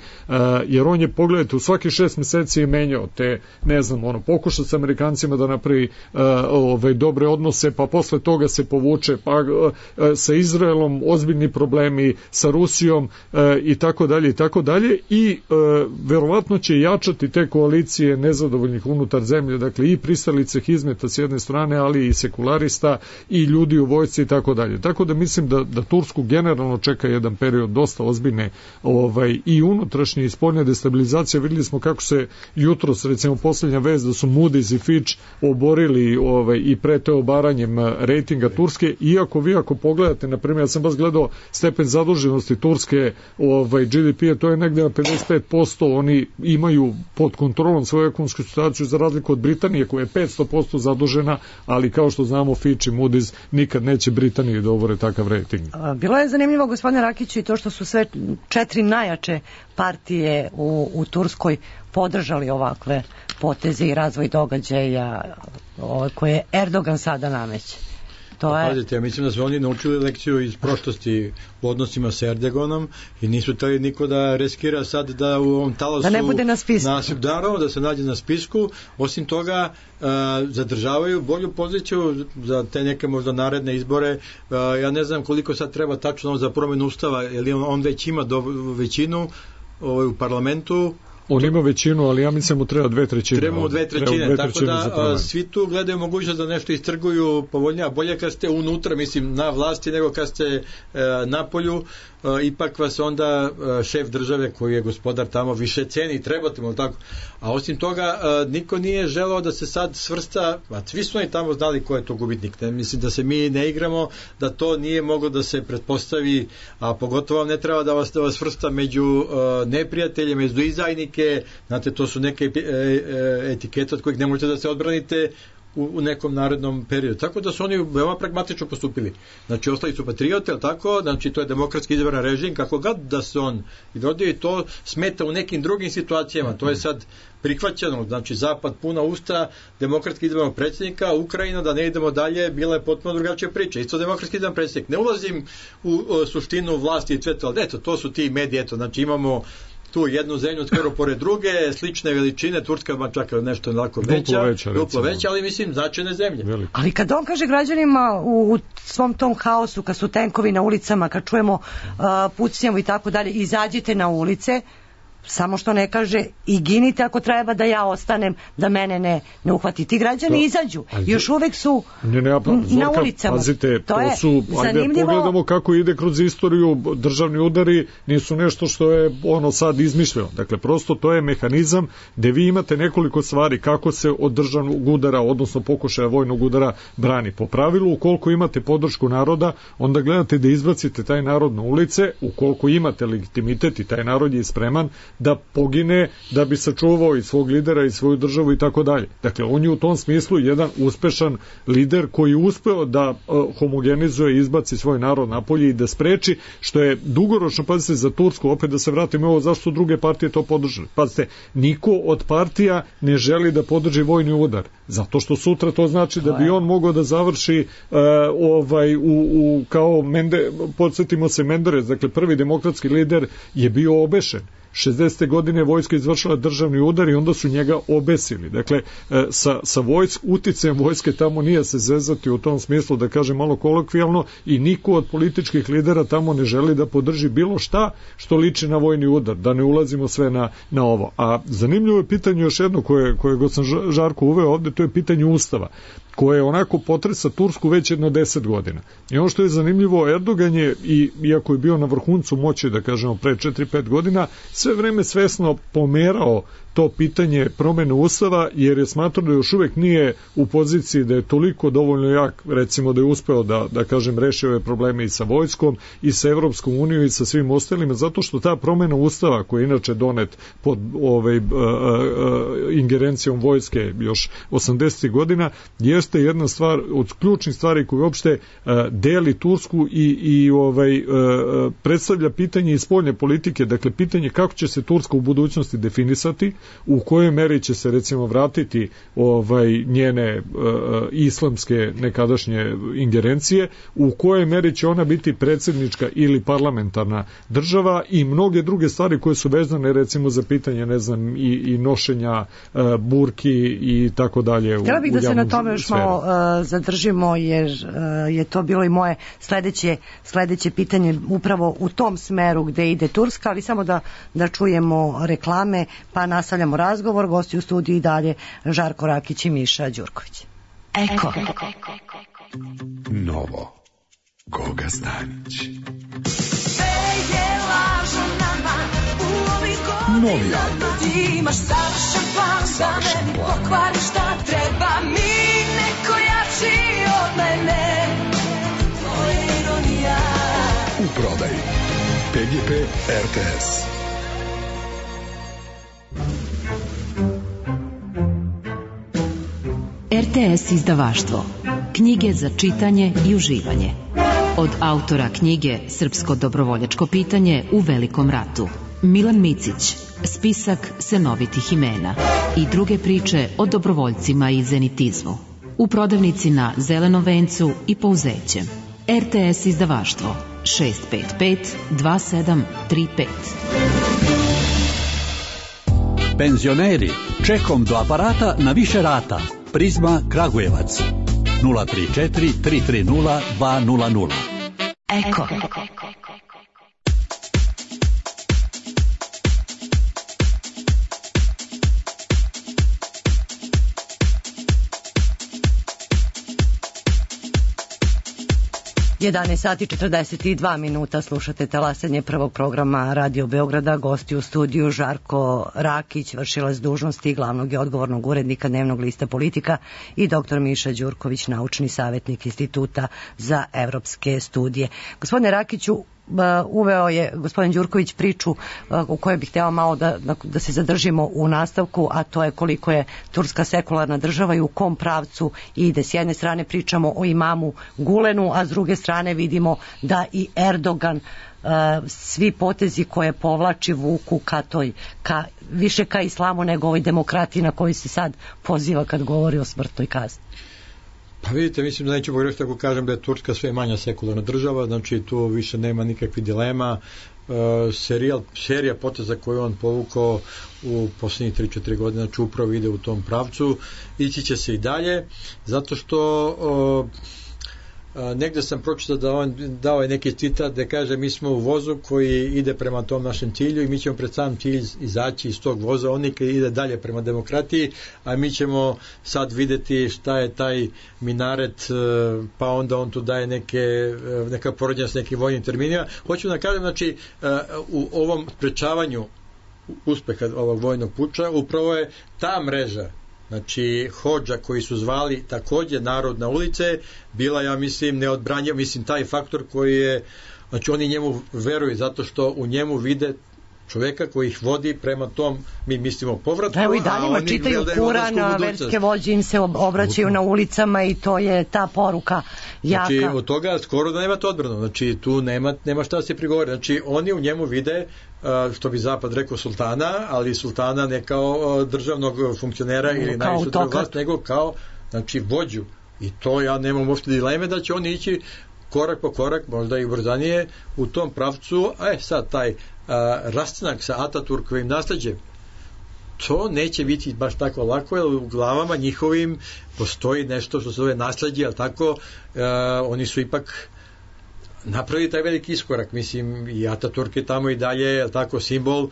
jer on je, pogledajte, u svaki šest meseci je menjao te, ne znam, ono, pokuša sa Amerikancima da napravi uh, ove, dobre odnose, pa posle toga se povuče, pa uh, sa Izraelom ozbiljni problemi, sa Rusijom uh, i tako dalje i tako dalje i uh, verovatno će jačati te koalicije nezadovoljnih unutar zemlje, dakle i pristalice Hizmeta s jedne strane, ali i sekularista i ljudi u vojsci i tako dalje. Tako da mislim da, da Tursku generalno čeka jedan period dosta ozbiljne ovaj, i unutrašnje i spoljne destabilizacije. Videli smo kako se jutros, recimo posljednja vez da su Moody's i Fitch oborili ovaj, i prete obaranjem rejtinga Turske, iako vi ako pogledate, na primjer, ja sam baš gledao stepen zaduženosti Turske, ovaj, G D P, to je negde na pedeset pet posto, oni imaju pod kontrolom svoju ekonomsku situaciju za razliku od Britanije koja je petsto posto zadužena, ali kao što znamo Fitch i Moody's nikad neće Britaniji da obore takav rejting. Bilo je zanimljivo, gospodine Rakiću, i to što su sve četiri najjače partije u, u Turskoj podržali ovakve poteze i razvoj događaja koje Erdogan sada nameće. To je... Pazite, ja mislim da su oni naučili lekciju iz prošlosti u odnosima sa Erdoganom i nisu tali niko da riskira sad da u ovom talasu... Da ne bude na spisku. Naravno, da se nađe na spisku. Osim toga, uh, zadržavaju bolju poziciju za te neke možda naredne izbore. Uh, ja ne znam koliko sad treba tačno za promjenu ustava, jer on, on već ima do, većinu ovaj, u parlamentu. On ima većinu, ali ja mislim mu treba dve trećine. Treba mu dve trećine, dve tako da a, svi tu gledaju mogućnost da nešto istrguju povoljnije, bolje kad ste unutra, mislim, na vlasti, nego kad ste e, na polju, e, ipak vas onda e, šef države koji je gospodar tamo više ceni, trebate mu tako. A osim toga, e, niko nije želeo da se sad svrsta, a svi su oni tamo znali ko je to gubitnik. Ne? Mislim da se mi ne igramo, da to nije moglo da se pretpostavi, a pogotovo ne treba da vas, da vas svrsta među e, neprijatelje, među izdajnike. Znate, to su neke e, e, etikete od kojih ne možete da se odbranite u, u nekom narednom periodu. Tako da su oni veoma pragmatično postupili. Znači, ostali su patriote, ali tako, znači, to je demokratski izabran režim, kako god da se on vodio i to smeta u nekim drugim situacijama. To je sad prihvaćeno, znači, Zapad puna usta demokratski izabranog predsjednika, Ukrajina, da ne idemo dalje, bila je potpuno drugačija priča. Isto demokratski izabran predsjednik. Ne ulazim u o, suštinu vlasti i sve to, ali eto, to su ti mediji, eto, znači, imamo tu jednu zemlju skoro pored druge, slične veličine, Turska ma čak nešto onako veća, veća, duplo veća, ali mislim značajne zemlje. Veliko. Ali kad on kaže građanima u, u svom tom haosu, kad su tenkovi na ulicama, kad čujemo uh, pucnjavu i tako dalje, izađite na ulice, samo što ne kaže i ginite ako treba da ja ostanem, da mene ne, ne uhvati. Ti građani da. Izađu. Još uvek su ne, ne, pa, Zorka, na ulicama. Pazite, to, to je su, zanimljivo. Ajde pogledamo kako ide kroz istoriju, državni udari nisu nešto što je ono sad izmišljeno. Dakle, prosto to je mehanizam gde vi imate nekoliko stvari kako se od državnog udara, odnosno pokušaja vojnog udara brani. Po pravilu, ukoliko imate podršku naroda, onda gledate da izbacite taj narod na ulice, ukoliko imate legitimitet i taj narod je spreman da pogine, da bi sačuvao i svog lidera i svoju državu i tako dalje. Dakle, on je u tom smislu jedan uspešan lider koji je uspeo da uh, homogenizuje i izbaci svoj narod napolje i da spreči, što je dugoročno, pazite, za Tursku, opet da se vratimo ovo, zašto druge partije to podržali. Pazite, niko od partija ne želi da podrži vojni udar, zato što sutra to znači da bi on mogao da završi uh, ovaj, u, u, kao Mende, podsjetimo se Menderes, dakle, prvi demokratski lider je bio obešen. šezdesete godine vojska izvršila državni udar i onda su njega obesili. Dakle, sa, sa vojsk, uticajem vojske tamo nije se zezati u tom smislu, da kažem malo kolokvijalno, i niko od političkih lidera tamo ne želi da podrži bilo šta što liči na vojni udar, da ne ulazimo sve na, na ovo. A zanimljivo je pitanje još jedno koje, koje god sam Žarko uveo ovde, to je pitanje Ustava. koje onako potresa Tursku već jedno deset godina. I ono što je zanimljivo, Erdogan je, i, iako je bio na vrhuncu moći, da kažemo, pre četiri pet godina, sve vreme svesno pomerao to pitanje promene ustava, jer je smatrao da još uvek nije u poziciji da je toliko dovoljno jak, recimo da je uspeo da, da kažem, reši ove probleme i sa vojskom i sa Evropskom unijom i sa svim ostalima, zato što ta promena ustava, koja je inače donet pod ovaj, uh, uh, ingerencijom vojske još osamdesetih godina, jeste jedna stvar od ključnih stvari koja uopšte uh, deli Tursku i, i ovaj, uh, predstavlja pitanje iz spoljne politike, dakle pitanje kako će se Turska u budućnosti definisati, u kojoj meri će se recimo vratiti ovaj njene uh, islamske nekadašnje ingerencije, u kojoj meri će ona biti predsjednička ili parlamentarna država i mnoge druge stvari koje su vezane recimo za pitanje, ne znam, i, i nošenja uh, burki i tako dalje. Htjela bih da se na tome još malo uh, zadržimo, jer uh, je to bilo i moje sledeće, sledeće pitanje upravo u tom smeru gde ide Turska, ali samo da, da čujemo reklame, pa nastavljamo razgovor. Gosti u studiju i dalje Žarko Rakić i Miša Đurković. Eko. Novo. Goga Stanić. Novi album. Imaš savršen plan da meni pokvariš šta treba mi neko jači od mene. Tvoja ironija. U prodaji P G P R T S. R T S izdavaštvo. Knjige za čitanje i uživanje. Od autora knjige Srpsko dobrovoljačko pitanje u Velikom ratu, Milan Micić, spisak senovitih imena i druge priče o dobrovoljcima i zenitizmu. U prodavnici na Zelenom vencu i Pouzećem. R T S izdavaštvo šest pet pet dva sedam tri pet. Penzioneri, čekom do aparata na više rata. Prizma Kragujevac nula tri četiri tri tri nula dva nula nula. Eko. jedanaest sati četrdeset dva minuta, slušate talasanje prvog programa Radio Beograda. Gosti u studiju Žarko Rakić, vršilac dužnosti glavnog i odgovornog urednika dnevnog lista Politika, i doktor Miša Đurković, naučni savjetnik Instituta za evropske studije. Gospodine Rakiću, uveo je gospodin Đurković priču u kojoj bih htjela malo da, da, da se zadržimo u nastavku, a to je koliko je Turska sekularna država i u kom pravcu ide. S jedne strane pričamo o imamu Gulenu, a s druge strane vidimo da i Erdogan, uh, svi potezi koje povlači vuku ka toj, ka, više ka islamu nego ovoj demokratiji na koju se sad poziva kad govori o smrtnoj kazni. Pa vidite, mislim da neću pogrešiti ako kažem da je Turska sve manja sekularna država, znači tu više nema nikakvih dilema. Uh, serijal, serija poteza koju on povukao u posljednjih tri četiri godine, znači upravo ide u tom pravcu, ići će se i dalje, zato što uh, Uh, negde sam pročitao da on dao je neki citat da kaže mi smo u vozu koji ide prema tom našem cilju i mi ćemo pred sam cilj izaći iz tog voza, on nekaj ide dalje prema demokratiji, a mi ćemo sad videti šta je taj minaret, uh, pa onda on tu daje neke, uh, neka poređenja s nekim vojnim terminima. Hoću da kažem, znači uh, u ovom sprečavanju uspeha ovog vojnog puča upravo je ta mreža, znači hodža koji su zvali također narod na ulice, bila, ja mislim, neodbranjiva, mislim taj faktor koji je, znači oni njemu veruju zato što u njemu vide čoveka koji ih vodi prema tom, mi mislimo, povratku. Evo i daljima čitaju Kuran, verske vođe im se obraćaju na ulicama i to je ta poruka jaka. Znači od toga skoro da nemate odbranu, znači tu nema, nema šta se prigovori, znači oni u njemu vide, što bi Zapad rekao, sultana, ali sultana ne kao državnog funkcionera ili najvišu državnu vlast, nego kao, znači, vođu. I to ja nemam uopšte dileme da će oni ići korak po korak, možda i brzanije u tom pravcu. E sad taj a, rastanak sa Ataturkovim nasleđem, to neće biti baš tako lako, jer u glavama njihovim postoji nešto što se zove nasleđe, ali tako, a, oni su ipak napravi taj veliki iskorak, mislim, i Ataturk je tamo i dalje, tako, simbol, uh,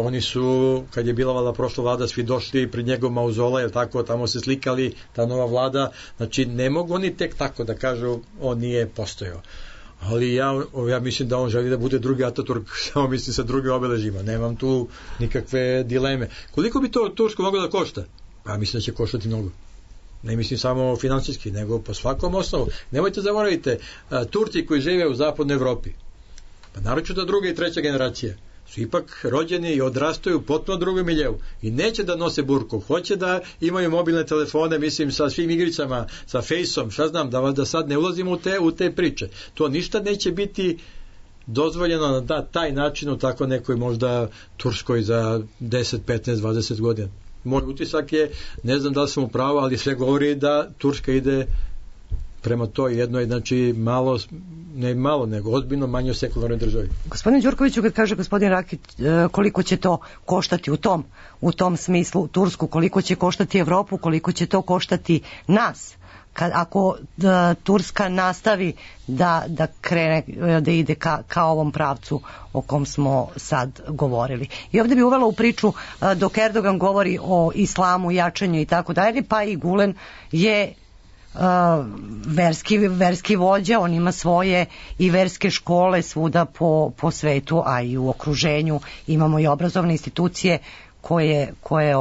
oni su, kad je bila vlada, prošla vlada, svi došli pred njegov mauzola, je tako, tamo se slikali, ta nova vlada, znači, ne mogu oni tek tako da kažu, on nije postojao. Ali ja, ja mislim da on želi da bude drugi Ataturk, samo mislim sa drugim obeležima, nemam tu nikakve dileme. Koliko bi to Tursko moglo da košta? Pa mislim da će koštati mnogo. Ne mislim samo finansijski, nego po svakom osnovu. Nemojte zaboravite, Turci koji žive u zapadnoj Evropi, pa naročito druga i treća generacija, su ipak rođeni i odrastaju u potpuno drugom miljevu i neće da nose burku, hoće da imaju mobilne telefone, mislim, sa svim igricama, sa fejsom, šta znam, da, da sad ne ulazimo u te, u te priče. To ništa neće biti dozvoljeno na taj način u tako nekoj možda Turskoj za deset, petnaest, dvadeset godina. Moj utisak je, ne znam da li sam u pravu, ali sve govori da Turska ide prema toj jednoj, znači malo, ne malo, nego ozbiljno manje sekularnoj državi. Gospodine Đurkoviću, kad kaže gospodin Rakić koliko će to koštati u tom, u tom smislu Tursku, koliko će koštati Evropu, koliko će to koštati nas, kad, ako da, Turska nastavi da, da krene, da ide ka, ka ovom pravcu o kom smo sad govorili. I ovdje bi uvela u priču, dok Erdogan govori o islamu, jačanju i tako dalje, pa i Gulen je Uh, verski, verski vođa, on ima svoje i verske škole svuda po, po svetu, a i u okruženju imamo i obrazovne institucije koje, koje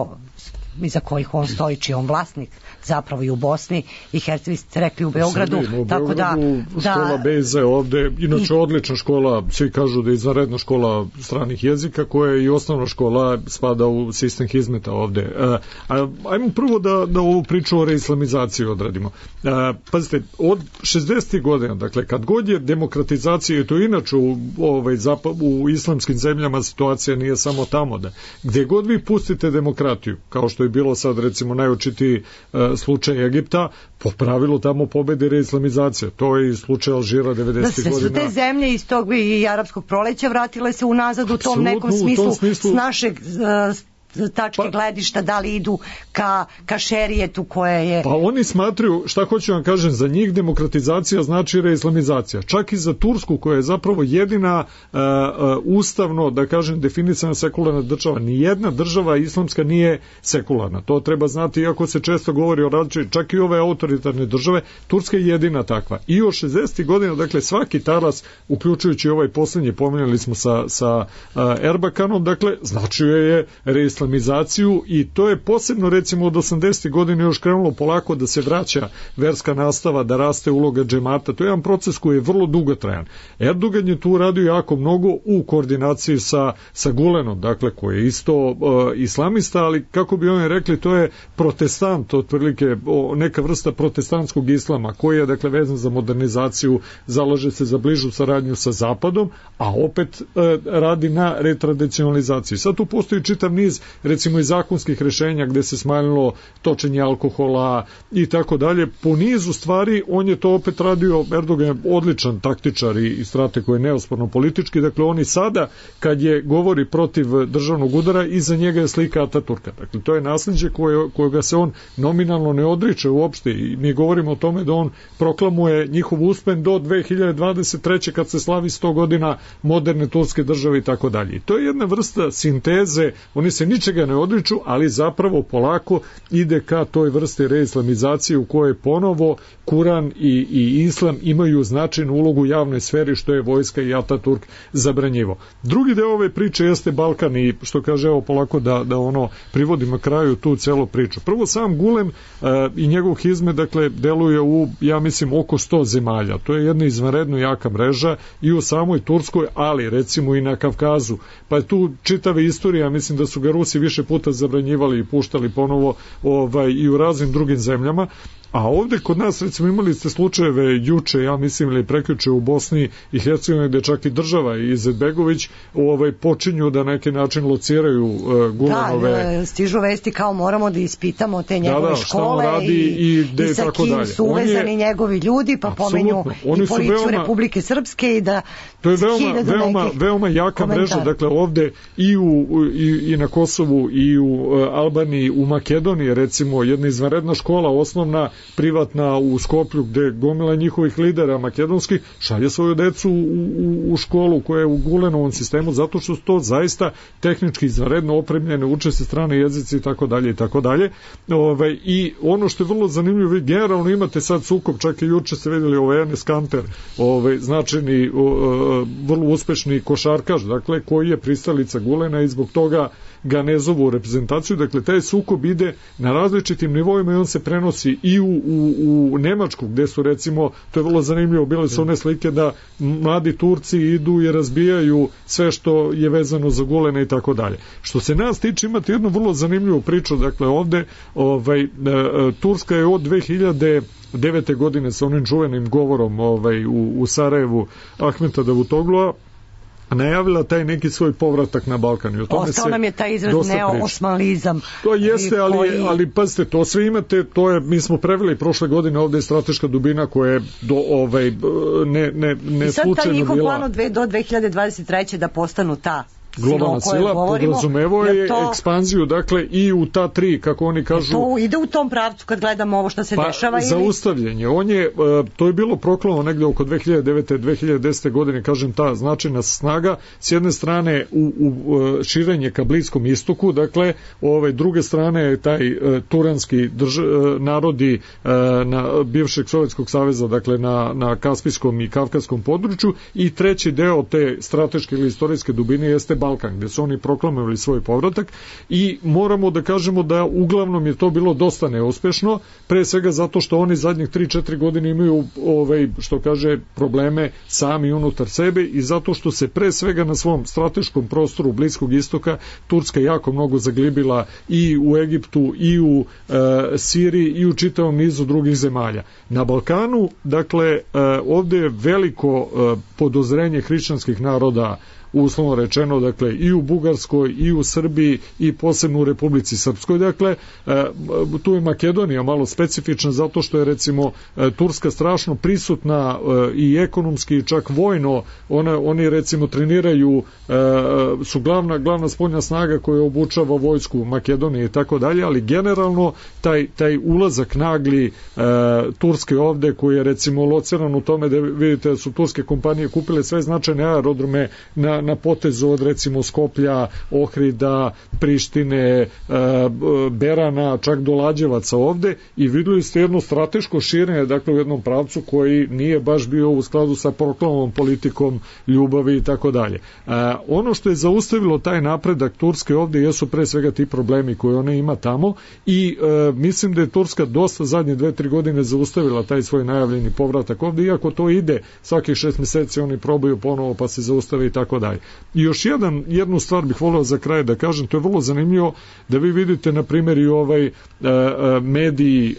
iza kojih on stoji, čiji on vlasnik, zapravo i u Bosni i Hercegovini, ste rekli u Beogradu, Srbiji, u tako Beogradu, da, škola da, Beze ovde, inače i, odlična škola, svi kažu da je izvanredna škola stranih jezika, koja je i osnovna škola, spada u sistem hizmeta ovde. A, a, ajmo prvo da, da ovu priču o reislamizaciji odradimo. A, pazite, od šezdesetih godina, dakle, kad god je demokratizacija, i to inače u, ovaj, zapad, u islamskim zemljama situacija nije samo tamo, da gde god vi pustite demokratiju, kao što je bilo sad recimo najočitiji uh, slučaj Egipta, po pravilu tamo pobedi reislamizacija. To je i slučaj Alžira devedesetih godina. Da se su te zemlje iz tog i arapskog proleća vratile se unazad u tom nekom smislu, u tom smislu s našeg uh, tačke pa, gledišta, da li idu ka, ka šerijetu koje je... Pa oni smatruju, šta hoću vam kažem, za njih demokratizacija znači reislamizacija. Čak i za Tursku, koja je zapravo jedina uh, uh, ustavno, da kažem, definisana sekularna država. Nijedna država islamska nije sekularna. To treba znati, iako se često govori o različitoj, čak i ove autoritarne države, Turska je jedina takva. I od šezdesetih godina, dakle, svaki talas, uključujući ovaj posljednji, pominjali smo sa, sa uh, Erbakanom, dakle, značio je reislamizaciju islamizaciju i to je posebno recimo od osamdesetih godina još krenulo polako da se vraća verska nastava, da raste uloga džemata. To je jedan proces koji je vrlo dugotrajan. Erdogan je tu radio jako mnogo u koordinaciji sa, sa Gulenom, dakle koji je isto uh, islamista, ali kako bi oni rekli, to je protestant, otprilike o, neka vrsta protestantskog islama koji je dakle vezan za modernizaciju, zalaže se za bližu saradnju sa Zapadom, a opet uh, radi na retradicionalizaciji. Sad tu postoji čitav niz recimo i zakonskih rešenja gde se smanjilo točenje alkohola i tako dalje. Po nizu stvari on je to opet radio, Erdogan je odličan taktičar i, i strateg koji je neosporno politički, dakle oni sada kad je govori protiv državnog udara, iza njega je slika Ataturka. Dakle to je nasljeđe koje, kojega se on nominalno ne odriče uopšte i mi govorimo o tome da on proklamuje njihov uspen do dve hiljade dvadeset treće kad se slavi sto godina moderne turske države i tako dalje. I to je jedna vrsta sinteze, oni se ničega ne odriču, ali zapravo polako ide ka toj vrsti reislamizacije u kojoj ponovo Kuran i, i Islam imaju značajnu ulogu u javnoj sferi, što je vojska i Ataturk zabranjivo. Drugi deo ove priče jeste Balkan i što kaže, evo polako da, da ono privodimo kraju tu celu priču. Prvo sam Gulen uh, i njegov hizmet, dakle, deluje u, ja mislim, oko sto zemalja. To je jedna izvanredno jaka mreža i u samoj Turskoj, ali recimo i na Kavkazu. Pa je tu čitava istorija, mislim da su ga Rusi više puta zabranjivali i puštali ponovo ovaj, i u raznim drugim zemljama. A ovde kod nas, recimo, imali ste slučajeve juče, ja mislim, ili prekjuče u Bosni i Hercegovini, gde čak i država i Izetbegović ovaj, počinju da na neki način lociraju uh, Gulenove... Da, stižu vesti kao moramo da ispitamo te njegove da, da, škole radi i, i, i sa kim su uvezani je, njegovi ljudi, pa pomenju i policiju veoma, Republike Srpske i da... To je veoma, veoma, veoma jaka komentar. Mreža, dakle ovde i, u, i, i na Kosovu i u uh, Albaniji, u Makedoniji, recimo, jedna izvanredna škola osnovna privatna u Skoplju gde gomila njihovih lidera makedonskih šalje svoju decu u, u, u školu koja je u Gulenovom sistemu zato što su to zaista tehnički izvanredno opremljene, uče se strane jezici i tako dalje i tako dalje. Ovaj, i ono što je vrlo zanimljivo, vi generalno imate sad sukob, čak i juče ste vidjeli ovaj Enes Kanter, ovaj, značajni, o, vrlo uspešni košarkaš, dakle, koji je pristalica Gulena i zbog toga ga ne zovu u reprezentaciju, dakle taj sukob ide na različitim nivoima i on se prenosi i u, u, u Nemačku gde su recimo, to je vrlo zanimljivo, bile su one slike da mladi Turci idu i razbijaju sve što je vezano za Gulena i tako dalje. Što se nas tiče, imate jednu vrlo zanimljivu priču, dakle ovde ovaj, Turska je od dve hiljade devete godine sa onim čuvenim govorom ovaj, u, u Sarajevu Ahmeta Davutoglua najavila taj neki svoj povratak na Balkan. I o tome ostao nam je taj izraz neoosmanlizam. To jeste, ali, koji... ali pazite, to sve imate, to je, mi smo preveli prošle godine, ovde je strateška dubina koja je do, ovaj, ne, ne, ne slučajno bila. I sad taj njihov plan od dve, do dve hiljade dvadeset treće da postanu ta globalna sila, podrazumevo je to, ekspanziju, dakle, i u ta tri, kako oni kažu... To ide u tom pravcu kad gledamo ovo što se pa, dešava ili... Zaustavljanje. On je, to je bilo proklamo negde oko dve hiljade devete do dve hiljade desete godine, kažem, ta značajna snaga, s jedne strane u, u širenje ka Bliskom istoku, dakle, ove druge strane taj turanski drž, narodi na bivšeg Sovjetskog saveza, dakle, na, na Kaspijskom i Kavkazskom području, i treći deo te strateške ili istorijske dubine jeste Balkan, gde su oni proklamovali svoj povratak i moramo da kažemo da uglavnom je to bilo dosta neuspešno, pre svega zato što oni zadnjih tri četiri godine imaju ovaj, što kaže, probleme sami unutar sebe i zato što se pre svega na svom strateškom prostoru Bliskog istoka Turska jako mnogo zaglibila i u Egiptu i u e, Siriji i u čitavom nizu drugih zemalja. Na Balkanu, dakle, e, ovde je veliko e, podozrenje hrišćanskih naroda, uslovno rečeno, dakle, i u Bugarskoj, i u Srbiji, i posebno u Republici Srpskoj. Dakle, tu je Makedonija malo specifična zato što je, recimo, Turska strašno prisutna i ekonomski i čak vojno. Ona, oni, recimo, treniraju, su glavna, glavna spoljna snaga koja obučava vojsku Makedonije i tako dalje, ali generalno taj, taj ulazak nagli Turske ovde, koji je, recimo, lociran u tome da vidite da su turske kompanije kupile sve značajne aerodrome na na potezu od, recimo, Skoplja, Ohrida, Prištine, Berana, čak do Lađevaca ovde, i videli ste jedno strateško širenje, dakle, u jednom pravcu koji nije baš bio u skladu sa proklamom politikom ljubavi i tako dalje. Ono što je zaustavilo taj napredak Turske ovde jesu pre svega ti problemi koje ona ima tamo i e, mislim da je Turska dosta zadnje dve, tri godine zaustavila taj svoj najavljeni povratak ovde, iako to ide svakih šest meseci, oni probaju ponovo pa se zaustave i tako dalje. I još jedan, jednu stvar bih voleo za kraj da kažem, to je vrlo zanimljivo da vi vidite, na primjer, i ovaj e, mediji, e,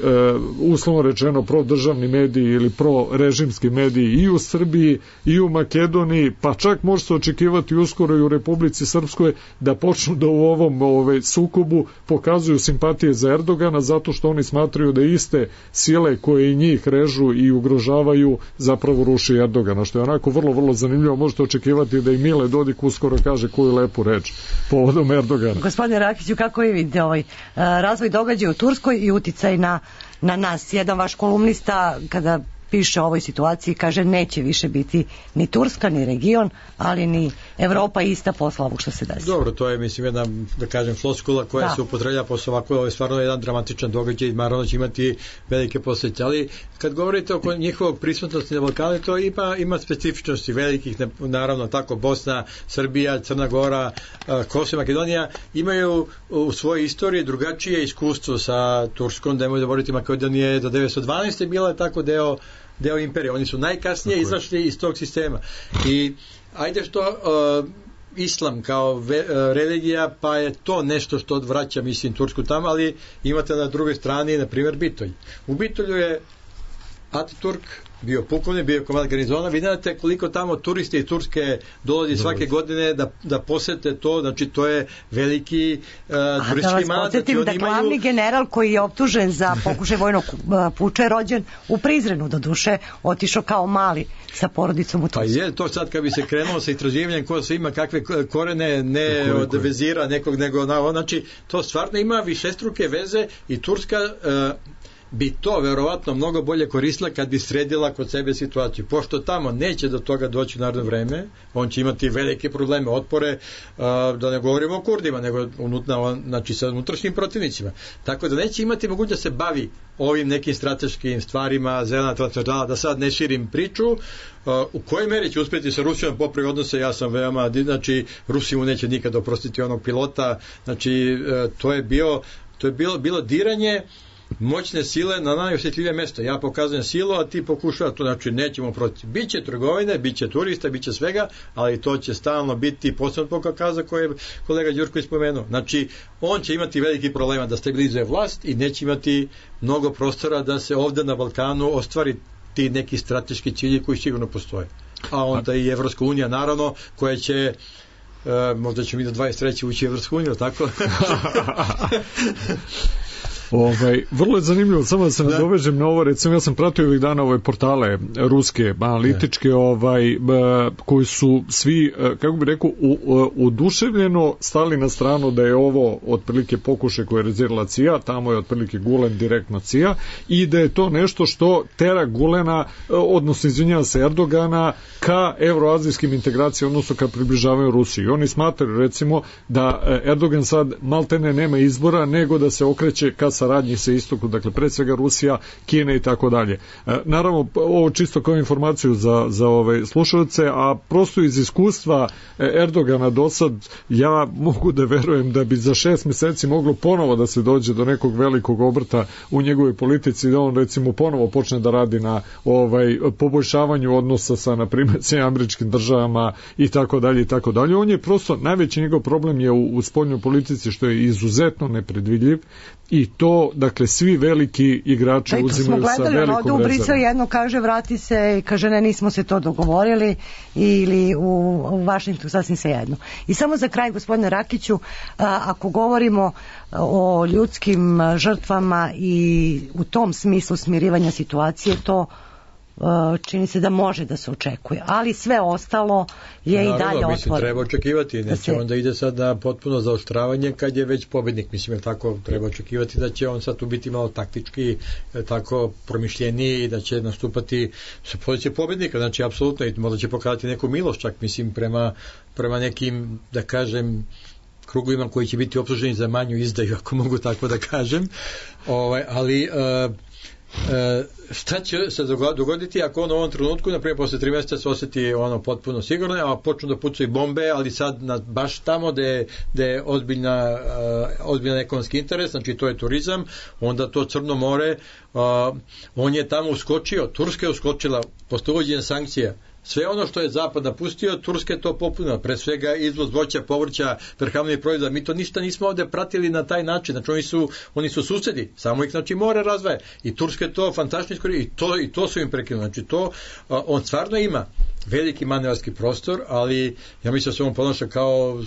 uslovno rečeno prodržavni mediji ili prorežimski mediji i u Srbiji i u Makedoniji, pa čak može se očekivati uskoro i u Republici Srpskoj da počnu da u ovom ovaj, sukobu pokazuju simpatije za Erdogana, zato što oni smatraju da iste sile koje i njih režu i ugrožavaju zapravo ruši Erdogana, što je onako vrlo, vrlo zanimljivo. Možete očekivati da i Mile Dodik uskoro kaže koju lepu reč povodom Erdogana. Gospodine Rakiću, kako vi vidite ovaj razvoj događaja u Turskoj i uticaj na, na nas? Jedan vaš kolumnista, kada piše o ovoj situaciji, kaže neće više biti ni Turska, ni region, ali ni Evropa ista posla ovog što se desi. Dobro, to je, mislim, jedna, da kažem, floskula koja da. se upotrebljava posle ovako, ovo je stvarno jedan dramatičan događaj i naravno će imati velike posljedice, ali kad govorite oko njihovog prisutnosti na Balkanu, to ima, ima specifičnosti velikih, naravno tako Bosna, Srbija, Crna Gora, Kosovo, Makedonija imaju u svojoj istoriji drugačije iskustvo sa Turskom, da nemoj zaboraviti, Makedonija je do devetsto dvanaeste bila tako deo deo imperije. Oni su najkasnije okay. izašli iz tog sistema. I ajde što uh, islam kao ve, uh, religija, pa je to nešto što odvraća, mislim, Tursku tamo, ali imate na drugoj strani, na primjer, Bitolj. U Bitolju je Ataturk bio pukovnik, bio komandant garnizona. Vi znate koliko tamo turisti iz Turske dolazi svake godine da, da posete to, znači to je veliki uh, turistički mandat. A da vas podsjetim da glavni imaju... general koji je optužen za pokušaj vojnog puča je rođen u Prizrenu, do duše otišao kao mali sa porodicom u Tursku. Pa je to sad kad bi se krenulo sa istraživanjem ko se ima kakve korene, ne od vezira nekog, nego na, znači to stvarno ima višestruke veze i Turska uh, bi to verovatno mnogo bolje koristila kad bi sredila kod sebe situaciju. Pošto tamo neće do toga doći u naredno vreme, on će imati velike probleme, otpore, da ne govorimo o Kurdima, nego unutna, znači sa unutrašnjim protivnicima. Tako da neće imati mogućnost da se bavi ovim nekim strateškim stvarima, zelena transverzala, da sad ne širim priču, u kojoj meri će uspjeti sa Rusijom popravi odnose, ja sam veoma, znači Rusi mu neće nikad oprostiti onog pilota, znači to je bio, to je bilo, bilo diranje moćne sile na najosjetljivije mesto. Ja pokazujem silu, a ti pokušava to, znači nećemo protiv. Biće trgovine, biće turista, biće svega, ali to će stalno biti posebno po Kaukaza koje je kolega Đurko ispomenuo. Znači, on će imati veliki problema da stabilizuje vlast i neće imati mnogo prostora da se ovde na Balkanu ostvari ti neki strateški cilji koji sigurno postoje. A onda i Evropska unija, naravno, koja će Uh, možda će mi do dvadeset treće ući u Evropsku uniju, tako? Ovaj, vrlo je zanimljivo, samo da se nadovežem na ovo, recimo ja sam pratio ovih dana ove portale ruske, analitičke, ovaj, koji su svi, kako bi rekao, oduševljeno stali na stranu da je ovo otprilike pokušaj koje je rezervila C I A, tamo je otprilike Gulen direktno C I A, i da je to nešto što tera Gulena, odnosno izvinjava se Erdogana, ka evroazijskim integracijama, odnosno ka približavanju Rusiji. Oni smatraju, recimo, da Erdogan sad maltene nema izbora, nego da se okreće ka saradnji sa istoku, dakle pre svega Rusija, Kina i tako dalje. Naravno, ovo čisto kao informaciju za, za ove slušalce, a prosto iz iskustva Erdogana do sad, ja mogu da verujem da bi za šest meseci moglo ponovo da se dođe do nekog velikog obrta u njegovoj politici, da on recimo ponovo počne da radi na ovaj poboljšavanju odnosa sa, na primjer, sa američkim državama i tako dalje i tako dalje. On je prosto, najveći njegov problem je u, u spoljnoj politici, što je izuzetno nepredvidljiv, i to, dakle, svi veliki igrači uzimaju sa velikom rezervom. Smo gledali, u Brisel jedno kaže vrati se i kaže ne, nismo se to dogovorili, ili u, u Vašingtonu sasvim se jedno. I samo za kraj, gospodine Rakiću, a, ako govorimo o ljudskim žrtvama i u tom smislu smirivanja situacije, to čini se da može da se očekuje, ali sve ostalo je naravno, i dalje otvoreno. Mislim, treba očekivati, neće se... onda ide sad na potpuno zaoštravanje kad je već pobednik, mislim, tako treba očekivati da će on sad tu biti malo taktički, tako promišljeniji i da će nastupati sa pozicije pobednika, znači apsolutno, i možda će pokazati neku milost čak, mislim, prema, prema nekim, da kažem, krugovima koji će biti optuženi za manju izdaju, ako mogu tako da kažem, ovaj, ali uh, E, šta će se dogoditi ako on u ovom trenutku, na primjer posle tri mjeseca se osjeti ono potpuno sigurno, a počnu da pucaju bombe, ali sad na, baš tamo gde, gde je ozbiljna, uh, ozbiljan ekonomski interes, znači to je turizam, onda to Crno more, uh, on je tamo uskočio, Turska je uskočila posle uvođenja sankcija. Sve ono što je Zapad napustio, Turska je to popunila, pre svega izvoz voća, povrća, prehrambenih proizvoda. Mi to ništa nismo ovde pratili na taj način, znači oni su, oni su susedi, samo ih znači more razvaje. I Turska je to fantastično i to, i to su im prekinuli. Znači to, on stvarno ima veliki manevarski prostor, ali ja mislim da se on ponaša kao,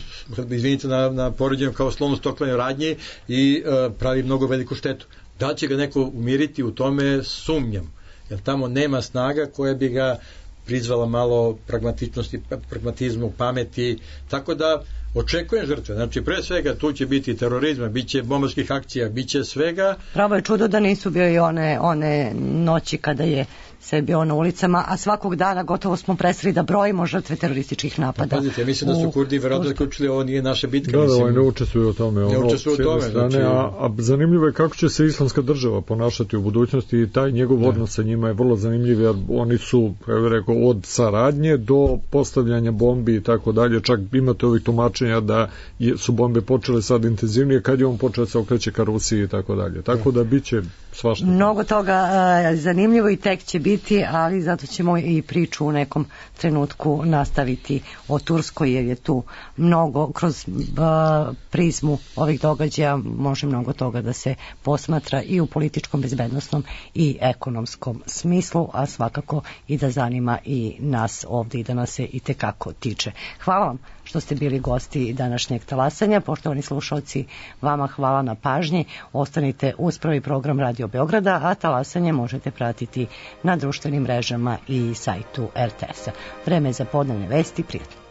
izvinite na, na poređenju, kao slovno stoklanje radnje i uh, pravi mnogo veliku štetu. Da će ga neko umiriti u tome, sumnjam, jer tamo nema snaga koja bi ga prizvala malo pragmatičnosti, pragmatizmu, pameti, tako da očekujem žrtve. Znači, pre svega tu će biti terorizma, bit će bombarskih akcija, bit će svega. Pravo je čudo da nisu bio i one, one noći kada je sve bio na ulicama, a svakog dana gotovo smo presreli da brojimo žrtve terorističkih napada. Pa, pazite, mislim da su Kurdi verovatno zaključili ovo nije naša bitka. Da, da, ne učestvuju u tome. Ne učestvuju u tome. Strane, znači... a, a zanimljivo je kako će se islamska država ponašati u budućnosti i taj njegov da. odnos sa njima je vrlo zanimljiv, jer oni su, ja bih rekao, od saradnje do postavljanja bombi i tako dalje. Čak imate ovih tumačenja da su bombe počele sad intenzivnije kad je on počeo se okreće ka Rusiji i tako dalje. Tako da bit će svašta. Mnogo toga uh, zanimljivo i tek će biti, ali zato ćemo i priču u nekom trenutku nastaviti o Turskoj, jer je tu mnogo, kroz uh, prizmu ovih događaja može mnogo toga da se posmatra i u političkom, bezbednosnom i ekonomskom smislu, a svakako i da zanima i nas ovdje i da nas se i tekako tiče. Hvala vam što ste bili gosti današnjeg talasanja. Poštovani slušalci, vama hvala na pažnji. Ostanite uz prvi program Radio Beograda, a talasanje možete pratiti na društvenim mrežama i sajtu er te es-a. Vreme za podnevne vesti, prijatno.